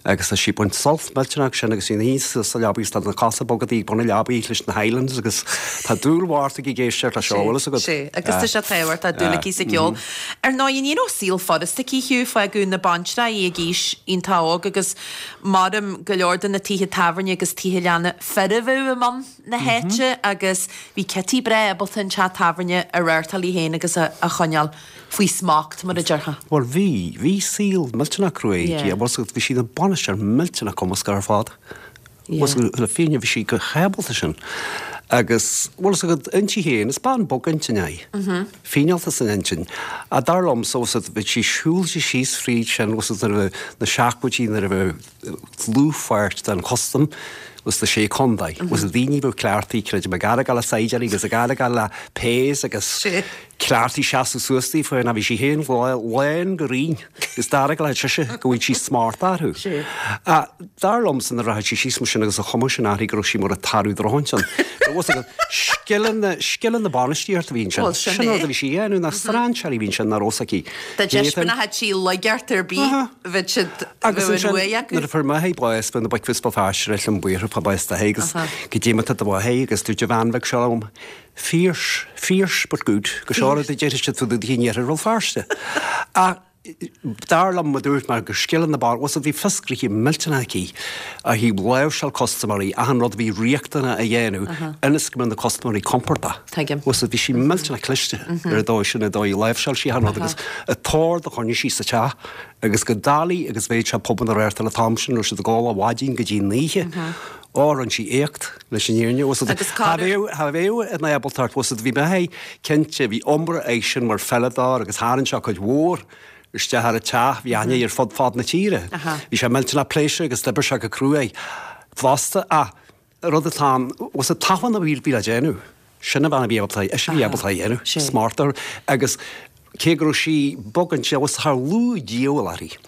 Agus tá sí ag baint sult millteanach sin agus í ina shuí sa leabaidh is tá na cosa boga di ag bun na leabaidh leis na Highlands agus tá dúil mhór aici ag éisteacht leis seo, bhfuil fhios agat? Sea, agus tá sé tábhachtach, dúil aici sa cheol. Ar ndóigh, ní raibh saol furasta aici, Hugh, fágadh na baintreach í ag aois iontach óg agus maram go leor de na tithe tábhairne agus tithe leanna fir a bheadh i mbun. na háite agus bhí Cití breá ábalta an teach tábhairne a reáchtáil í féin agus a choinneáil faoi smacht, mar a déarfá. Bhuel bhí, bhí saol millteanach cruaidh aici agus bhí sí ina bainisteoir millteanach cumasach ar fad. Bhfuil 's agat, le fírinne bhí sí go hábalta sin. Agus bhfuil 's agat inti féin, is bean bog intinne í. Fíneálta san intinn. Ach dar liomsa, bhfuil 's agat, bhí sí siúl sí síos fríd sin, bhfuil 's agat, nuair a bhí na seachtóidí, nuair a bhí dlúthpháirt den chustam sna Sé Contae. Agus daoine a bheadh cleachtaithe, creidim, ag argáil le saighdiúirí agus ag argáil le péas agus cleachtaithe seasamh suas daofa ná bhí sí féin lán go righin agus d'argáil sise go bhfuil sí smart orthu. Ach dar liomsa nuair a rachadh sí síos mar sin agus a chuma sin uirthi go raibh sí mar a tarbh drochintinn. Scileanna, scileanna bainistíochta a bhí ansin. Sin an rud a bhí sí a dhéanamh, na strainséirí a bhí ansin nach raibh fhios aici. Dá dtaispeánfadh sí laigeacht ar bith, bheadh siad, Agus ansin, nuair a fuair m'athair bás, bhí na boic bhí Béal Feirste ar an buartha fá bás d'athair agus goidé mar tá do mháthair agus dúirt a bhean bheag seo liom, Fierce, fierce but good, go seo rud a déarfadh siad fá dtaobh di in iarthar Bhéal Feirste. Ach. Dar liom, mar dúirt mé, gur scileanna ban, bhfuil 's agat, bhí fios gnoithe millteanach aici ó thaobh láimhseáil custaiméirí, achan rud a bhí riachtanach a dhéanamh ionas go mbeadh na custaiméirí compordach. Tuigim. Bhfuil 's agat, bhí sí millteanach cliste ar an dóigh sin, an dóigh a láimhseáil sí achan rud agus an t-ord a choinnigh sí sa teach agus chomh doiligh agus a bheadh sé pubanna a reáchtáil an t-am sin, raibh siad ag ól ó mhaidin go dtí an oíche. Ó, rinne sí éacht leis an fhírinne, bhfuil 's agat. Agus cá Cha bheadh, cha bheadh an ábaltacht, bhfuil 's agat, bhí mé cinnte, bhí iomrá eisean mar pheileadóir agus tharraing sé cuid mhór isteach ar an teach, bhí aithne air fud fad na tíre. Bhí sé millteanach pléisiúrtha agus d'oibir sé go cruaidh fosta ach an rud atá ann, bhfuil 's agat, tafann a bhí le déanamh. Sin an bhean a bhí ábalta, ise a bhí ábalta a dhéanamh, smart agus cé go raibh sí bog ansin, bhfuil 's agat, char lú díobháil uirthi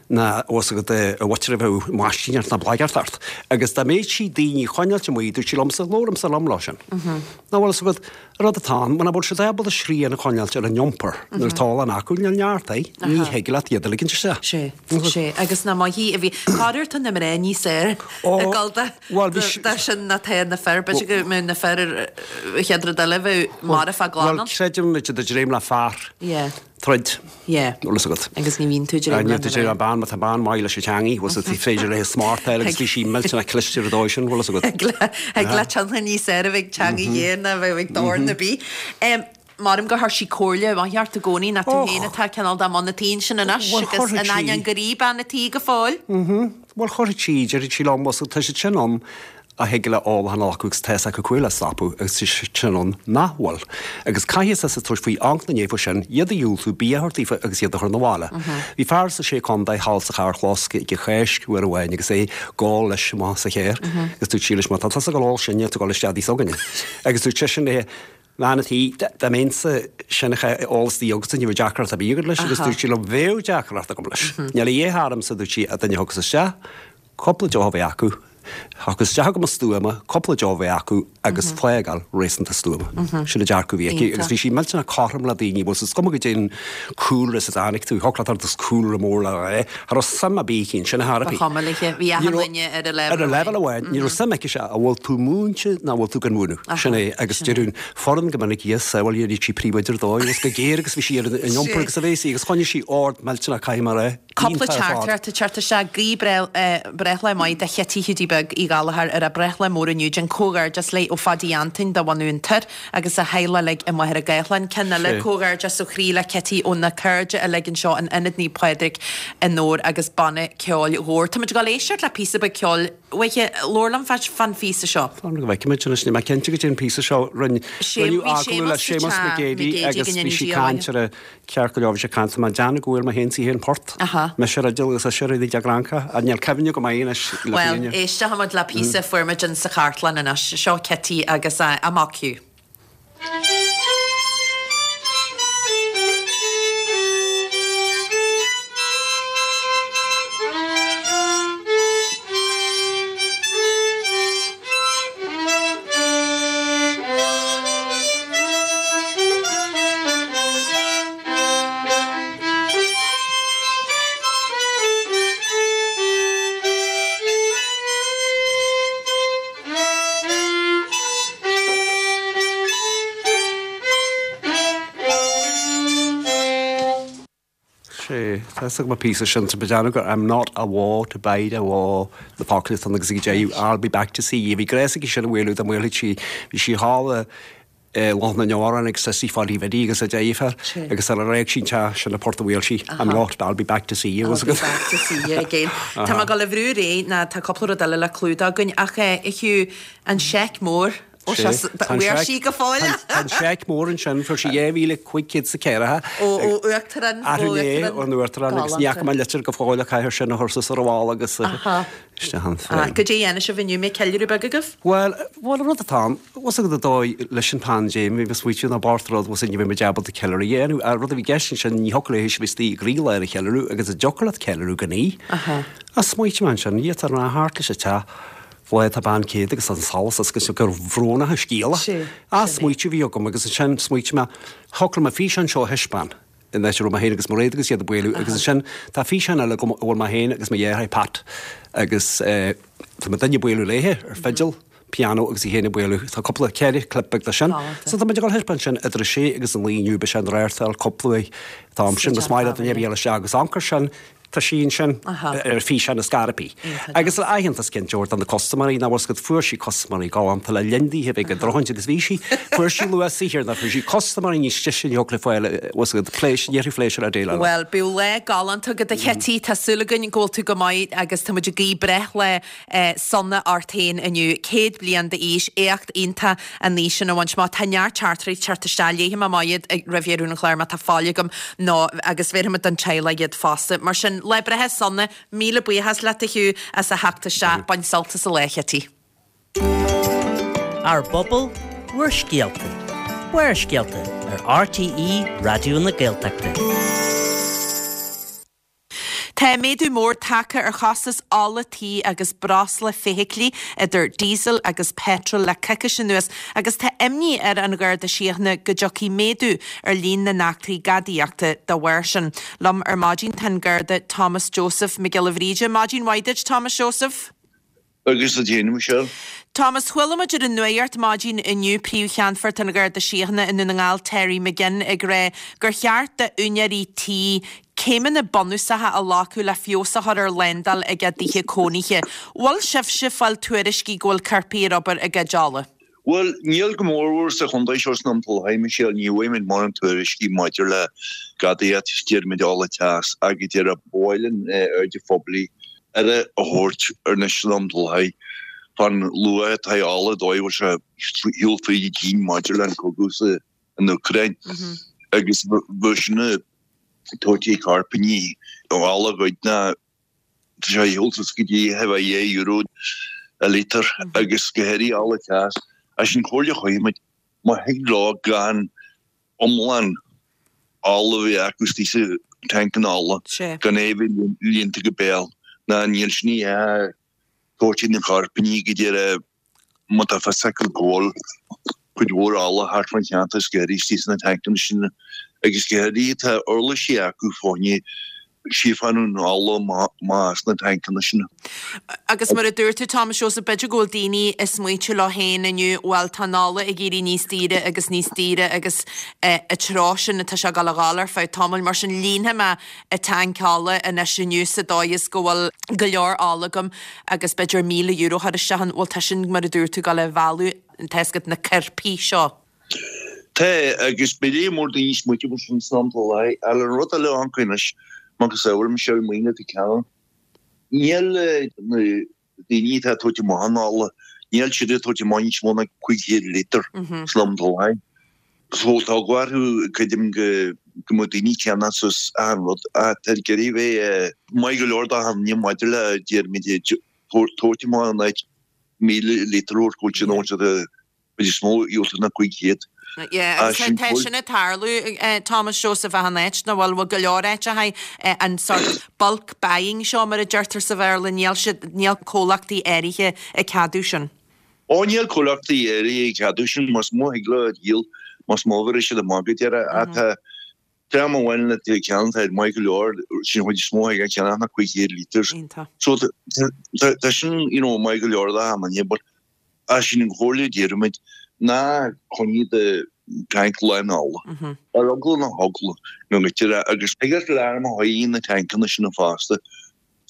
ná bhfuil 's agat a mhuintir a bheadh maistíneacht ná blaigeacht ort. Agus dá mbeadh sí daoine a choinneáilt amuigh, dúirt sí liomsa, labhair liom leo sin. Nó bhfuil 's agat, an rud atá ann, muna bhfuil siad ábalta srian a choinneáilt ar an iompar nuair atá ól acu, níl neart é, ní thig leat iad a ligint isteach. Sé, sé, agus nach maith í a bhí, corruair tá na mná níos fhearr ag dul de. Bhuel, bhí Dá sin ná tá na fir, b'fhéidir go mbeadh na fir ar an chéad rud eile bheadh marbh glan ann. Bhuel, creidim muid i dtréim le fear. Yeah. Troid. Yeah. Bhfuil fhios agat. Agus ní bhíonn tú i dtréim le Níl tú i dtréim le bean, má tá bean maith leis an teangaidh, bhfuil fhios agat, is féidir léi smart a fháil agus bhí sí millteanach cliste ar an dóigh sin, bhfuil fhios agat. Thig le tionchar níos fearr a bheith ag teangaidh ghéar ná a bheith ag dorn ar bith. Maram gur chuir sí comhairle mhaith ort i gcónaí, nach tú féin atá cineál de mbun an tí ansin anois agus in ainneoin gur í bean an tí go fóill. Bhuel, chuirfeadh sí, déarfadh sí liom, bhuel, tá siad sin ann a thig le ól a choinneáil acu agus tá fhios acu cá huair le stopadh agus tá siad sin ann nach bhfuil. Agus caithfidh tusa tabhairt faoi amharc ina ndiaidh sin, iad a dhiúltú, bia a thabhairt daofa agus iad a chur 'na bhaile. Bhí fear sa Sé Contae thall sa charrchlós ag an Cháisc uair amháin agus é ag ól leis amach sa charr agus dúirt sí leis, má tá tusa ag dul ól sinne, tú ag dul isteach i dtigh s'againne. Agus dúirt seisean léi, Bhean a' tí, dá mbeinnse sin ag ól istigh agatsa ní bheadh deacracht ar bith agat leis agus dúirt sí liom bheadh deacracht agam leis. Níl a dhath ormsa, dúirt sí, ach duine a thiocfas isteach, cúpla deoch a bheith acu, thiocfas isteach go stuama, cúpla deoch a bheith acu agus fágáil réasúnta stuama. Sin an dearcadh a bhí aici agus bhí sí millteanach cothrom le daoine, bhuel is cuma goidé an cúlra as a dtáinig tú, thiocfadh leat ort cúlra mór le rá, cha raibh suim ar bith aici ansin ar chor ar bith. Ba chuma léi, bhí achan duine ar a leibhéal Ar a leibhéal amháin, ní raibh suim aici sé, an bhfuil tú múinte nó an bhfuil tú gan mhúineadh? Sin é, agus deireadh an foireann go minic yes, bhuel dhéanadh sí príomhoide ar dóigh, agus chomh géar agus bhí sí ar an iompar agus a bhéas í, agus choinnigh sí ord millteanach caithfidh mé a rá, Cúpla iontach ar fad. teachtaireacht ag teacht isteach, guí breithlá maith do Chití Hiúdaí Beag Uí Ghallchóir ar a breithlá mór inniu, déan comhghairdeas léi ó Phaidí Antoin de bhunadh an Toir agus a theaghlach uilig i Machaire Gathlán. Ceann eile, comhghairdeas ó chroí le Cití ó na cairde uilig anseo in Ionad Naomh Pádraig i nDobhar agus Banna Ceoil Dhobhair. Táimid ag dul éisteacht le píosa beag ceoil. Uaithe, labhair liom fán phíosa seo. Fan go bhfeicfimid anois, níl mé cinnte goidé an píosa seo. Rinne, rinneadh agallamh le Séamus McGeady agus bhí sí caint ar a, ceart go leor bhí sé caint, tá mé ag déanamh go bhfuair mé féin sí féin port. Mise ar fhidil agus ise ar an gcranca, ach níl cuimhne go maith anois le fírinne. Bhuel, éistfimid le píosa a fuair muid in sa chartlann anois. Seo Cití agus a mac Hugh. Sé, tá fhios agam an píosa sin, tá mé ag déanamh gur I'm not awa to bide awa na focla atá ann agus ag deireadh I'll be back to see you. Bhí gléas aici sin a mhaolú dá maolfadh sí, bhí sí thall i Loch na nDeorán agus Sissy Pháidí Bhiddy agus a deirfiúr agus sar a d'éag sí an teach sin an port a mhaol sí, I'm not, I'll be back to see you. I'll be back to see you again. Tá mé ag dul a bhrú ar aghaidh ná tá cúpla rud eile le clúdach againn ach a Hugh, an seic mór, ó sé, bhfuair sí go fóill é? Tá an seic mór ansin, fuair sí 2,504. Ó Uachtarán, ó Uachtarán. Ón Uachtarán agus ní fhaca mé litir go fóill ach caithfear sin a chur suas ar an bhalla agus isteach ann féin. Goidé a dhéanfaidh sibh inniu, mbeidh ceiliúradh beag agaibh? Bhuel, bhuel an rud atá ann, bhfuil fhios agat an dóigh leis an phaindéim, bhí mé ag smaoitiú ná b'fhearr rud, bhfuil fhios agat ní bheidh muid ábalta ceiliúradh a dhéanamh. An rud a bhí i gceist ansin, ní thiocfadh léi a bheith istigh i gcroílár an cheiliúradh agus an dtiocfadh leat ceiliúradh gan í? Ach smaoitigh mé ansin, iad ar an thart leis an teach, bhuel tá bean céad agus an solas agus gur bhrónach an scéal é. Ach smaoitiú a bhí agam agus ansin smaoitigh mé, thiocfadh liom an físeán seo a thaispeáin. in áit a raibh mé féin agus Mairéad agus iad ag bualadh agus ansin tá físeán eile agam a bhfuil mé féin agus mo dheartháir Pat agus tá muidinne ag bualadh léithe ar fidil. pianó agus í féin ag bualadh. Tá cúpla, 4 clip beag de sin. So tá muid ag dul a thaispeáint sin idir a sé agus a 9 inniu, beidh sé in Reáchtáil cúpla uair an t-am sin agus maith le duine ar bith a ghabháil isteach agus amharc air sin, tá sí ansin ar físeán is scairpí. Agus aitheantas cinnte a thabhairt do na custaiméirí, nach bhfuil 's agat, fuair sí custaiméirí galánta le linn daoithe a bheith ag drochaint agus bhí sí, fuair sí luath saothair ná fuair sí custaiméirí níos deise ní thiocfadh le fáil, bhfuil 's agat, pléisiúr, ní phléisiúr a déileáil. Bhuel, bíodh lá galánta agat a Chití, tá súil againn go bhfuil tú go maith agus tá muid ag guí breithlá sona ort féin inniu. 100 bliain d'aois, éacht iontach an aois sin a bhaint amach. Tá neart teachtaireachtaí ag teacht isteach, léifidh mé amach iad roimh dheireadh an chláir má tá fáil agam nó agus bhéarfaidh muid don teaghlach iad fosta. Mar sin, lá breithe sona, míle buíochas leat a Hugh as a theacht isteach. Bain sult as an lá, a Chití. Ár bpobal, bhur scéalta. Barrscéalta ar RTÉ Raidió na Gaeltachta. Tá méadú mór tagtha ar chostas ola tí agus breosla feithiclí, idir diesel agus petrol le coicís anuas agus tá imní ar an Gharda Síochána go dtiocfaidh méadú ar líon na n-eachtraí gadaíochta dá bharr sin. Liom ar maidin tá an Garda Thomas Joseph Mac Giolla Bhríde. Maidin mhaith duit, Thomas Joseph. Agus duit féin, a Mhichelle. Thomas, chuala muid ar an nuacht maidin inniu Príomh-Cheannfort an Gharda Síochána i Ndún na nGall, Terry McGinn, ag rá gur cheart d'úinéirí tí céimeanna bunúsacha a ghlacadh le feabhas a chur ar shlándáil ag a dtithe cónaithe. Bhfuil sibhse ag fáil tuairiscí go bhfuil coirpigh ar obair ag goid ola? Bhuel, níl go mórmhór sa chontae seo san am faoi láthair, Michelle, ní bhfaighimid mórán tuairiscí maidir le gadaíocht, déarfaimid ola teas agus déarfá ba mhaith linn aird an phobail aire a thabhairt anois san am faoi láthair fán luach atá ar ola, dóigh a bhfuil sé ar shiúl fríd an tSín maidir le an cogadh sa an Úcráin agus bheadh sin ag tabhairt ag coirpigh ola a ghoid ná Tá sé ar shiúl suas go dtí a bheith €2 an lítear agus go háirithe ola teas. Is an chomhairle a chuirfimid, má thig leo gan iomlán ola a bheith acu istigh sa tancanna ola, gan é a bheith líonta go béal, ná níl sin a tabhairt ag na coirpigh go deireadh Má tá fios acu go bhfuil cuid mhór ola thart fán cheantar is go háirithe istigh sna tancanna sin agus go háirithe tá uirlisí acu fá choinne síofánú an ola amach as na tancanna sin. Agus mar a dúirt tú, Thomas Joseph, b'fhéidir go bhfuil daoine ag smaointiú leo féin inniu, bhuel tá an ola ag éirí níos daoire agus níos daoire agus an treo sin atá sé ag dul a ghabháil ar feadh tamaill, mar sin líonfaidh mé an tanc ola anois inniu sa dóigh is go bhfuil go leor ola agam agus b'fhéidir €1,000 a chur isteach ann, bhuel tá sin mar a dúirt tú ag dul a mhealladh tá fhios agat na coirpigh seo. Tá, agus beidh léar mór daoine ag smaointiú mar sin san am faoi láthair. Ach an rud eile a tháinig anois, macasamhail Michelle maoin atá ceann, níl na daoine atá ag tabhairt amach an ola, níl siad ag tabhairt amach níos mó ná 500 lítear san am faoi láthair. So tá eagla orthu, creidim, go go mbeadh daoine ag ceannach suas achan rud ach tá ag iarraidh bheith maith go leor d'achan duine maidir le déarfaimid tabhairt amach in áit 1,000 lítear a thabhairt go bhfuil siad in ann siad a chuid is mó a dhiúltú ná 500. Yeah, agus tá tá sin ag tarlú, Thomas Joseph achan áit, nach bhfuil, bhfuil go leor áiteacha an sort bulk buying seo mar a deirtear sa Bhéarla, níl siad, níl comhlachtaí áirithe ag ceadú sin. Ó níl comhlachtaí áirithe ag ceadú sin, más mó a thig leo a dhíol, más mó a bhéarfaidh siad amach go deireadh. Ach tá dream amháin le taobh ceann atá maith go leor, sin an chuid is mó a thig a cheannach ná 500 litres. So tá sin you know maith go leor d'achan duine but ach sin an chomhairle a déarfaimid, ná coinnigh do tanc lán ola. Ar eagla na heagla go ngoidtear é agus thig leat alarm a chur na tancanna sin fosta.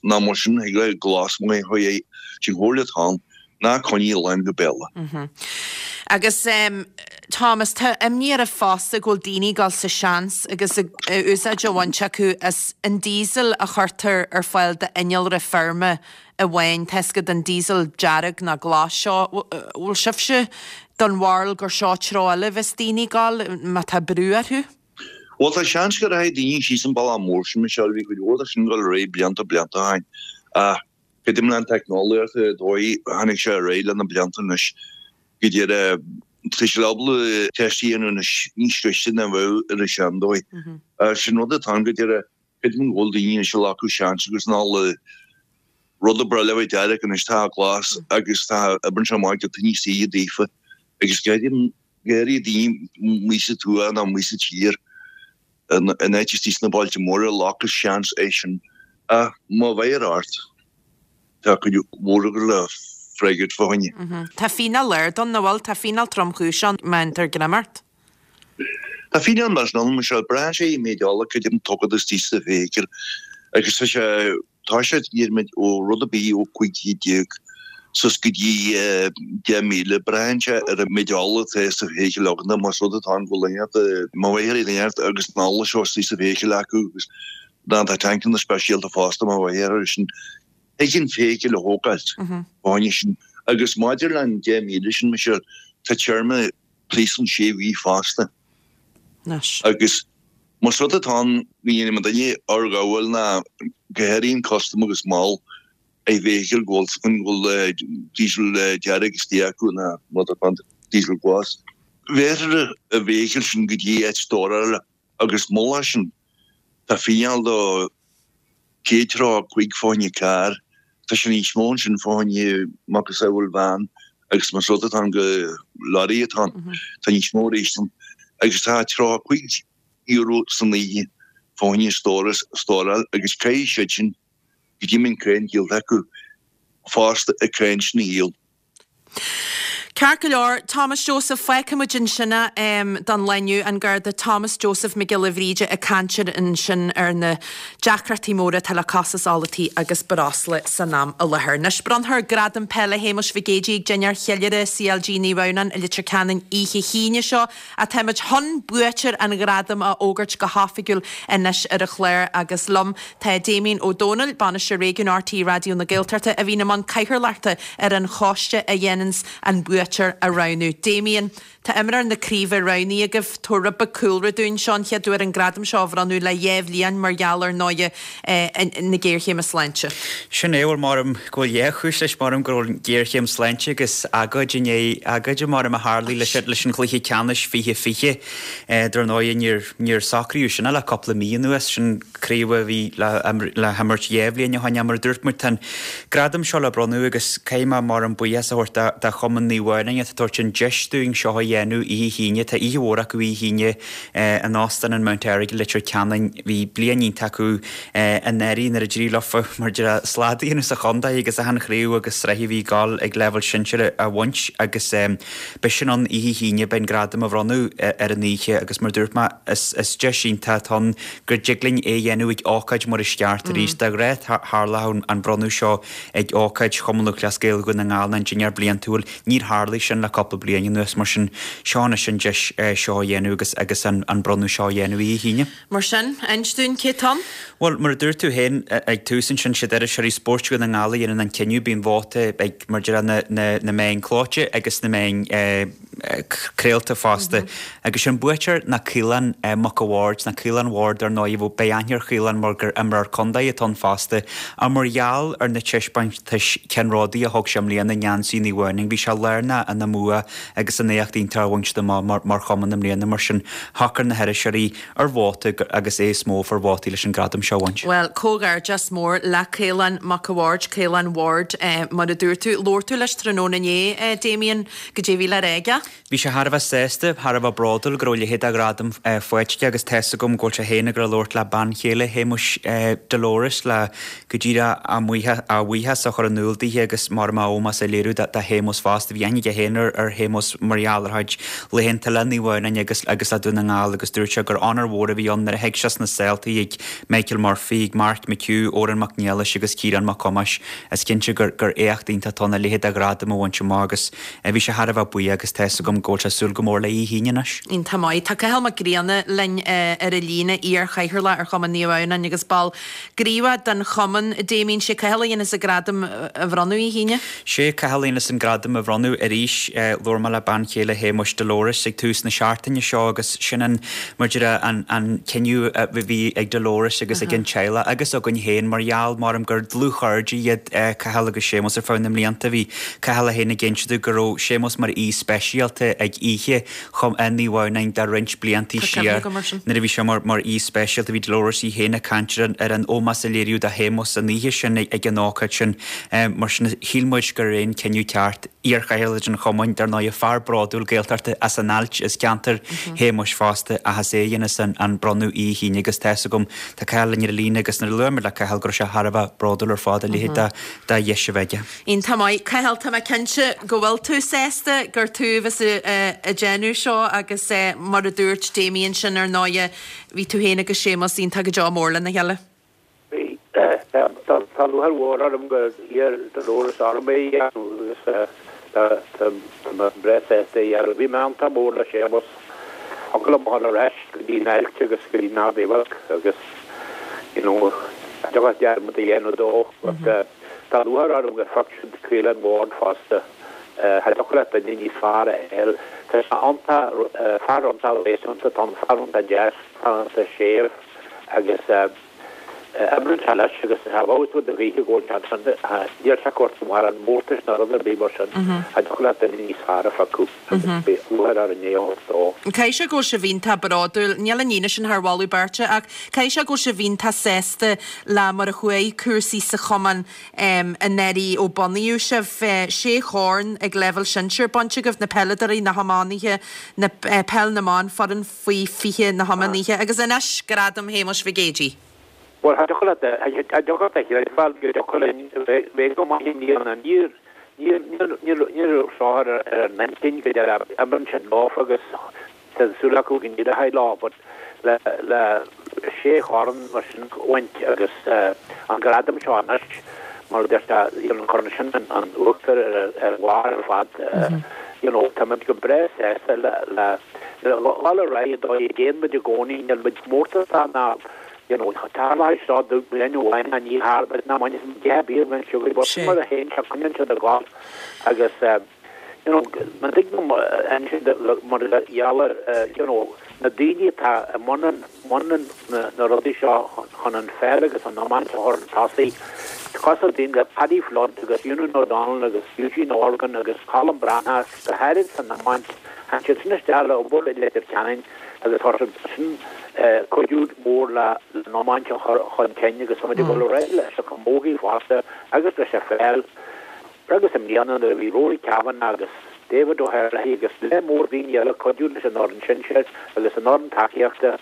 Ná mar sin thig le glas maith a chur air. Sin comhairle atá ann, ná coinnigh lán go béal é. Agus Thomas, tá imní oraibh fosta go bhfuil daoine ag dul sa seans agus úsáid á bhaint acu as an diesel a chuirtear ar fáil d'innealra feirme amháin, tá fhios agat an diesel dearg nó glas seo. Bhfuil sibhse den bharúil gur seo treo eile a bheas daoine ag dul má tá brú orthu? Bhuel, tá seans go rachaidh daoine síos an bealach mór sin, Michelle, bhí cuid mhór de sin ag dul ar aghaidh blianta, blianta ó shin. Ach creidim le an teicneolaíocht, an dóigh a tháinig sé ar aghaidh le na blianta anois, go deireadh, tá siad ábalta teist a dhéanamh anois níos gaiste ná a bheadh ar an seandóigh. Sin rud atá ann go deireadh, creidim go bhfuil daoine anois ag glacadh seans agus an ola, rud a ba bhreá le bheith dearg anois, tá glas agus tá oibreann sé amach giota níos saoire daofa agus creidim go háirithe daoine amuigh sa tuath nó amuigh sa tír, in áit istigh sna bailte móra, glacadh seans é sin. Ach má bheir ort, tá cuid mhór acu le. freagairt fá choinne. Tá fíneáil ard ann, nach bhfuil? Tá fíneáil tromchúiseach ann má dhéantar greim ort. Tá fíneáil millteanach ann, Michelle. Braitheann sé an méid ola cad é mar atá agat istigh sa bhfeithicil agus tá sé, tá sé, déarfaimid, ó rud ar bith ó 15 céad suas go dtí 10,000. Braitheann sé ar an méid ola atá sa bhfeithicil agat nó más rud atá ann go bhfuil duine, má bheidh duine agus an ola seo istigh sa bhfeithicil acu agus tá tancanna speisialta fosta má bheidh air sin. Thig an feithicil a thógáilt fá choinne sin. Agus maidir le an 10,000 sin, Michelle, tá téarma príosúin sé mhí fosta. Agus más rud atá ann go ndéanfaidh an duine urghabháil ná go háirithe an custom agus mall ar bhfeithicil go bhfuil go bhfuil díosal dearg istigh acu ná rud atá ann, díosal glas. Bhéarfar an bhfeithicil sin go dtí áit stórála agus mullach sin tá fíneáil de 135 fá choinne carr, tá sé níos mó ansin fá choinne macasamhail veain agus más rud atá ann go lorry atá ann, tá níos mó arís ann agus tá €35 san oíche fá choinne stóras, stóráil agus caithfidh siad sin go dtí an cáin díolta acu fosta an cáin sin a dhíol. Ceart go leor, Thomas Joseph, fágfaidh muid ansin é don lá inniu, an Garda Thomas Joseph Mac Giolla Bhríde ag caint ansin ar na deacrachtaí móra atá le costas ola tí agus breosla san am i láthair. Anois, bronnfar Gradam Peile Shéamuis Mhig Éadaigh ag dinnéar cheiliúrtha CLG Naomh Adhamhnáin i Leitir Ceanainn oíche hAoine seo. Ach táimid chun buaiteoir an ghradaim a fhógairt go hoifigiúil anois ar an chlár agus liom tá Damien Ó Dónaill, Bainisteoir Réigiúin RTÉ Raidió na Gaeltachta, a bhíonn i mbun cathaoirleachta ar an choiste a dhéananns an buaiteoir a roghnú. Damien, tá imreoir na craoibhe roghnaithe agaibh. Tabhair rud beag cúlra dúinn. Seo an chéad uair an gradam seo á bhronnadh le dhá bhliain mar gheall ar ndóighe na géarchéime sláinte. Sin é, bhuel, maram go bhfuil dhá chúis leis, maram go raibh an ghéarchéim sláinte agus agóid i ndiaidh agóide, maram, a tharlaigh leis leis an chluiche ceannais 2020. Dar ndóighe, níor níor socraíodh sin ach le cúpla mí anuas, sin craobh a bhí le le himirt dhá bhliain ó shin. Mar a dúirt muid, tá an gradam seo le bronnadh agus caithfidh mé, maram, buíochas a thabhairt do do Chumann Naomh Adhamhnáin atá ag tabhairt an deis dúinn seo a dhéanamh oíche hAoine. Tá oíche mhór acu oíche hAoine in Óstán an Mount Errigal i Leitir Ceanainn. Bhí bliain iontach acu anuraidh nuair a d'éirigh leofa mar a déarfá slad a dhéanamh sa chontae agus achan chraobh agus sraith a bhí ag gabháil ag leibhéal sinsir a bhaint agus beidh sin ann oíche hAoine, beidh an gradam á bhronnadh ar an oíche agus mar a dúirt mé is deis iontach atá ann go dtig linn é a dhéanamh ag ócáid mar is ceart arís. De ghnáth tharlódh an bronnadh seo ag ócáid Chumann Lúthchleas Gael Dhún na nGall nó an dinnéar bliantúil, níor tharlaigh sin le cúpla bliain anuas mar sin seo anois an deis seo a dhéanamh agus agus an bronnadh seo a dhéanamh oíche hAoine. Mar sin, inis dúinn cé tá ann? Bhuel, mar a dúirt tú féin ag tús ansin, siad iriseoirí spóirt Dhún na nGall a dhéanann an cinneadh. Bíonn vóta ag, mar a déarfá, na, na, na meáin clóite agus na meáin craolta fosta. Agus sé an buaiteoir ná Caolán Mac a' Bhaird, ná Caolán Ward ar ndóigh, bhuel, beidh aithne ar Chaolán mar gur imreoir contae atá ann fosta. Ach mar gheall ar na taispeántais ceannródaí a thug sé i mbliana i ngeansaí Naomh Adhamhnáin, bhí sé lárnach ina mbua agus an éacht iontach a bhaint amach mar, mar chumann i mbliana. Mar sin, shocair na hiriseoirí, ar vóta agus é is mó a fuair vótaí leis an gradam seo a bhaint. Bhuel, comhghairdeas mór le Caolán Mac a' Bhaird, Caolán Ward, mar a dúirt tú. Labhair tú leis tráthnóna inné, Damien, goidé a bhí le rá aige? Bhí sé thar a bheith sásta, thar a bheith bródúil go raibh a leithéid de ghradam faighte aige agus tá's agam go bhfuil sé féin ag gabháil a labhairt le bean chéile Shéamuis, Dolores, le go díreach a bhuíochas a chur in iúl daoithe agus mar a ómós a léiriú do Shéamus fosta. Bhí aithne aige féin ar Shéamus mar gheall ar a chuid laethanta le Naomh Adhamhnáin agus agus le Dún na nGall agus dúirt sé gur onóir mhór a bhí ann nuair a shuigh sé sna seoltaí ag Michael Murphy, ag Mark McHugh, Odhrán Mac Niallais agus Ciarán Mac Thomáis. Is cinnte gur gur éacht iontach atá ann a leithéid de ghradam a bhaint amach agus bhí sé thar a bheith buíoch agus tá's agam go bhfuil sé ag súil go mór le oíche hAoine anois. Iontach maith. Tá Cathal Mac Grianna linn ar an líne, iar-chathaoirleach ar Chumann Naomh Adhamhnáin agus ball gníomhach den chumann. Damien, sé Cathal a dhéanfas an gradam a bhronnadh oíche hAoine? Sé Cathal a dhéanfas an gradam a bhronnadh arís. Labhair mé le bean chéile Shéamuis, Dolores, ag tús na seachtaine seo agus sin an, mar a déarfá, an, an cinneadh a bhí ag Dolores agus ag an teaghlach agus againn féin mar gheall, maram, gur dlúthchairde iad Cathal agus Séamus ar feadh na mblianta. Bhí Cathal é féin ag inse domh go raibh Séamus mar aoi speisialta. Barrscéalta ag oíche Chumann Naomh Adhamhnáin de roinnt bliantaí Tá cuimhne siar agam air sin. nuair a bhí sé mar mar aoi speisialta. Bhí Dolores í féin ag caint ar an ar an ómós a léiríodh do Shéamus an oíche sin ag an ócáid sin. Mar sin shíl muid gur é an cinneadh ceart iarchathaoirleach an chumainn, dar ndóigh, fear bródúil Gaeltachta as an Ailt, as ceantar Shéamuis fosta, ach is é a dhéanfas an bronnadh oíche hAoine agus tá fhios agam, tá Cathal linn ar an líne agus nuair a labhair muid le Cathal go raibh sé thar a bheith bródúil ar fad a leithéid de dheis a bheith aige. Iontach maith. Cathal, tá mé cinnte go bhfuil tú sásta gur tú a bheas ag déanamh seo agus mar a dúirt Damien sin ar ndóighe, bhí tú féin agus Séamus iontach go deo mór lena chéile. Bhí. Tá lúcháir mhór orm gur iarr Dolores orm é a dhéanamh agus tá mé breá sásta é a dhéanamh. Bhí mé iontach mór le Séamus. Thiocfadh liom a dhul ar ais go dtí an Ailt agus go dtí an Ard Mhacha agus you know cha dtiocfadh dearmad a dhéanamh dó but tá lúcháir orm gur phioc siad Caolán Ward fosta. Cha dtiocfadh leat duine níos fearr a fháil. Tá sé iontach, fear iontach réasúnta atá ann, fear iontach deas, fear iontach séimh agus oibríonn sé leis agus tá bhfeabhas rud a ghaoithe go bhfuil sé ansin, níl sé ag tabhairt mórán mórtais ná rud ar bith mar sin, cha dtiocfadh leat duine níos fearr a phiocadh agus beidh lúcháir orainn é a thabhairt dó. Caithfidh sé go bhfuil sibh iontach bródúil, níl an líne sin thar mholadh beirte ach caithfidh sé go bhfuil sibh iontach sásta le mar a chuaigh cúrsaí sa chumann anuraidh ó bunaíodh sibh. Sé chorn ag leibhéal sinsir bainte agaibh, na peileadóirí, na hiománaithe, na peil na mban, foireann faoi 20 na hiománaithe agus anois Gradam Shéamuis Mhig Éadaigh. Bhuel, cha dtiocfadh leat, cha dtiocfadh leat a chreidbheáil go dtiocfadh linn bheith go maith i mbliana. Níor, níor, níor, níor, ní raibh seo ar ar a n-intinn go deireadh. Imríonn siad leofa agus tá súil acu go n-éireoidh leo but le, le sé chorn mar sin a bhaint agus an gradam seo anois, mar a deir sé, you know, cuireann sin an uachtar ar, ar bharr ar fad. You know, tá muid go breá sásta le, le, dul ar aghaidh an dóigh a dtéann muid i gcónaí, níl muid mórtasach ná you know tarlóidh seo do bhliain amháin ná ní tharlóidh ná bainfidh muid deich bír den siúil but sin mar a théann sé coinníonn siad ag gabháil agus you know má dtig liom insint mar gheall ar you know na daoine atá i mbun an mbun an na rudaí seo chun an pheil agus an iomáint a chur chun tosaigh cosúil daoine le Paddy Flood agus Eunan O'Donnell agus Eugene Horgan agus Colm Breathnach go háirid san iomáint, tháinig siad sin isteach le obair i Leitir Ceanainn agus chuir siad sin cuidiú mór le an iomáint a chur chun cinn agus tá muid ag dul ar aghaidh leis an chamógaí fosta agus leis an pheil agus i mbliana nuair a bhí Rory Kavanagh agus David O'Herlihy agus lear mór daoine eile ag cuidiú leis an fhoireann sinsir agus an fhoireann tacaíochta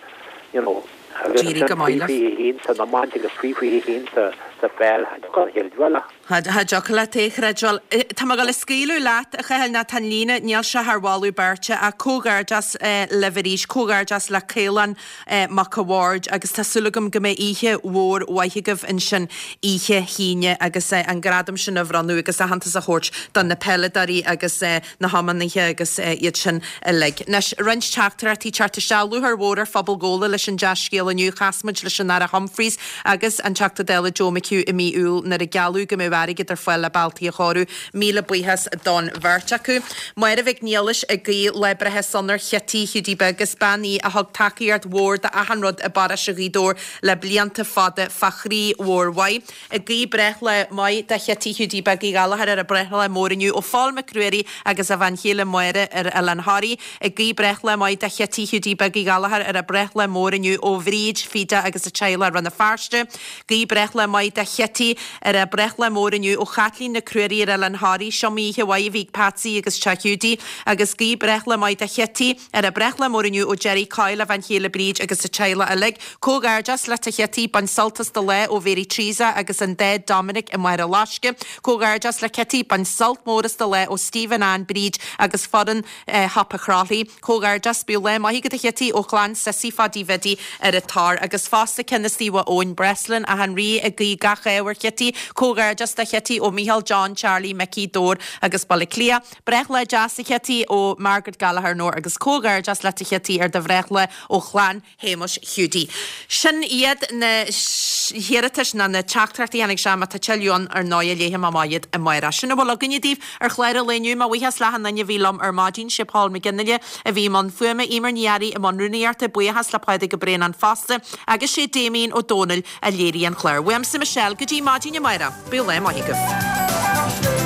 you know agus D'éirigh go ansin maith faoi libh. 21 san iomáint agus faoi 21 sa pheil, cha dtiocfadh a chreidbheáil. Cha dtiocfadh leat é a chreidbheáil. Tá mé ag dul a scaoileadh leat, a Chathail, nó tá an líne, níl sé thar mholadh beirte, ach comhghairdeas libh arís, comhghairdeas le Caolán Mac a' Bhaird agus tá súil agam go mbeidh oíche mhór mhaith agaibh ansin oíche hAoine agus an gradam sin a bhronnadh agus aitheantas a thabhairt do na peileadóirí agus na hiománaithe agus iad sin uilig. Anois, roinnt teachtaireachtaí teacht isteach. Lúcháir mhór ar phobal Ghabhla leis an dea-scéal inniu. Chas muid leis an Aire Humphreys agus an Teachta Dála Joe McHugh i mí Iúil nuair a gealladh go mbeadh airgead ar fáil le bealtaí a chóiriú. Míle buíochas don bheirt acu. Máire Mhic Niallais ag guí lá breithe sona ar Chití Hiúdaí Beag. Is bean í a thug tacaíocht mhór d'achan rud i bparóiste Ghaoth Dobhair le blianta fada fá chroí mhór mhaith. Ag guí breithlá maith do Chití Hiúdaí Beag Uí Ghallchóir ar a breithlá mór inniu ó Phól Mac Ruairí agus a bhean chéile Máire ar Oileán Thoraí. Ag guí breithlá maith do Chití Hiúdaí Beag Uí Ghallchóir ar a breithlá mór inniu ó Bhríd, Fiadach agus a teaghlach Rann na Feirste. Guí breithlá maith do Chití ar a breithlá mór inniu ó Chaitlín Nic Ruairí ar Oileán Thoraí. 'Siomaí oíche mhaith a bhí ag Patsy agus teach Hiúdaí. Agus guí breithlá maith do Chití ar a breithlá mór inniu ó Jerry Coyle, a bhean chéile Bríd agus a teaghlach uilig. Comhghairdeas leat a Chití, bain sult as do lá ó Mhary Teresa agus an Daid Dominic i Machaire Loiscthe. Comhghairdeas le Cití, bain sult mór as do lá ó Stephen, Ann, Bríd agus foireann Shiopa Chrothlaí. Comhghairdeas, bíodh lá maith agat a Chití ó chlann Sissy Pháidí Bhiddy ar an Tor. Agus fosta ceann as Mhaigh Eoin Breslin, Átha an Rí ag guí gach ádh ar Chití. Comhghairdeas do Chití ó Micheál, John, Charlie, Mickey, Dobhar agus Baile Átha Cliath. Breithlá deas a Chití ó Margaret Gallagher Nore agus comhghairdeas leat a Chití ar do bhreithlá ó chlann Shéamuis Hiúdaí. Sin iad na hiarratais ná na teachtaireachtaí a tháinig isteach. Má tá tuilleadh ann, ar ndóigh, léifidh mé amach iad amárach. Sin a bhfuil againne daoibh ar chlár an lae inniu. Mo bhuíochas le achan duine a bhí liom ar maidin. Sé Paul McGinley a bhí i mbun fuaime, Eimear Ní Fhearraigh i mbun rúnaíochta, buíochas le Pádraig Ó Braonáin fosta, agus sé Damien Ó Dónaill a léirigh an clár. Uaimse Michelle, go dtí maidin amárach, bíodh lá maith agaibh.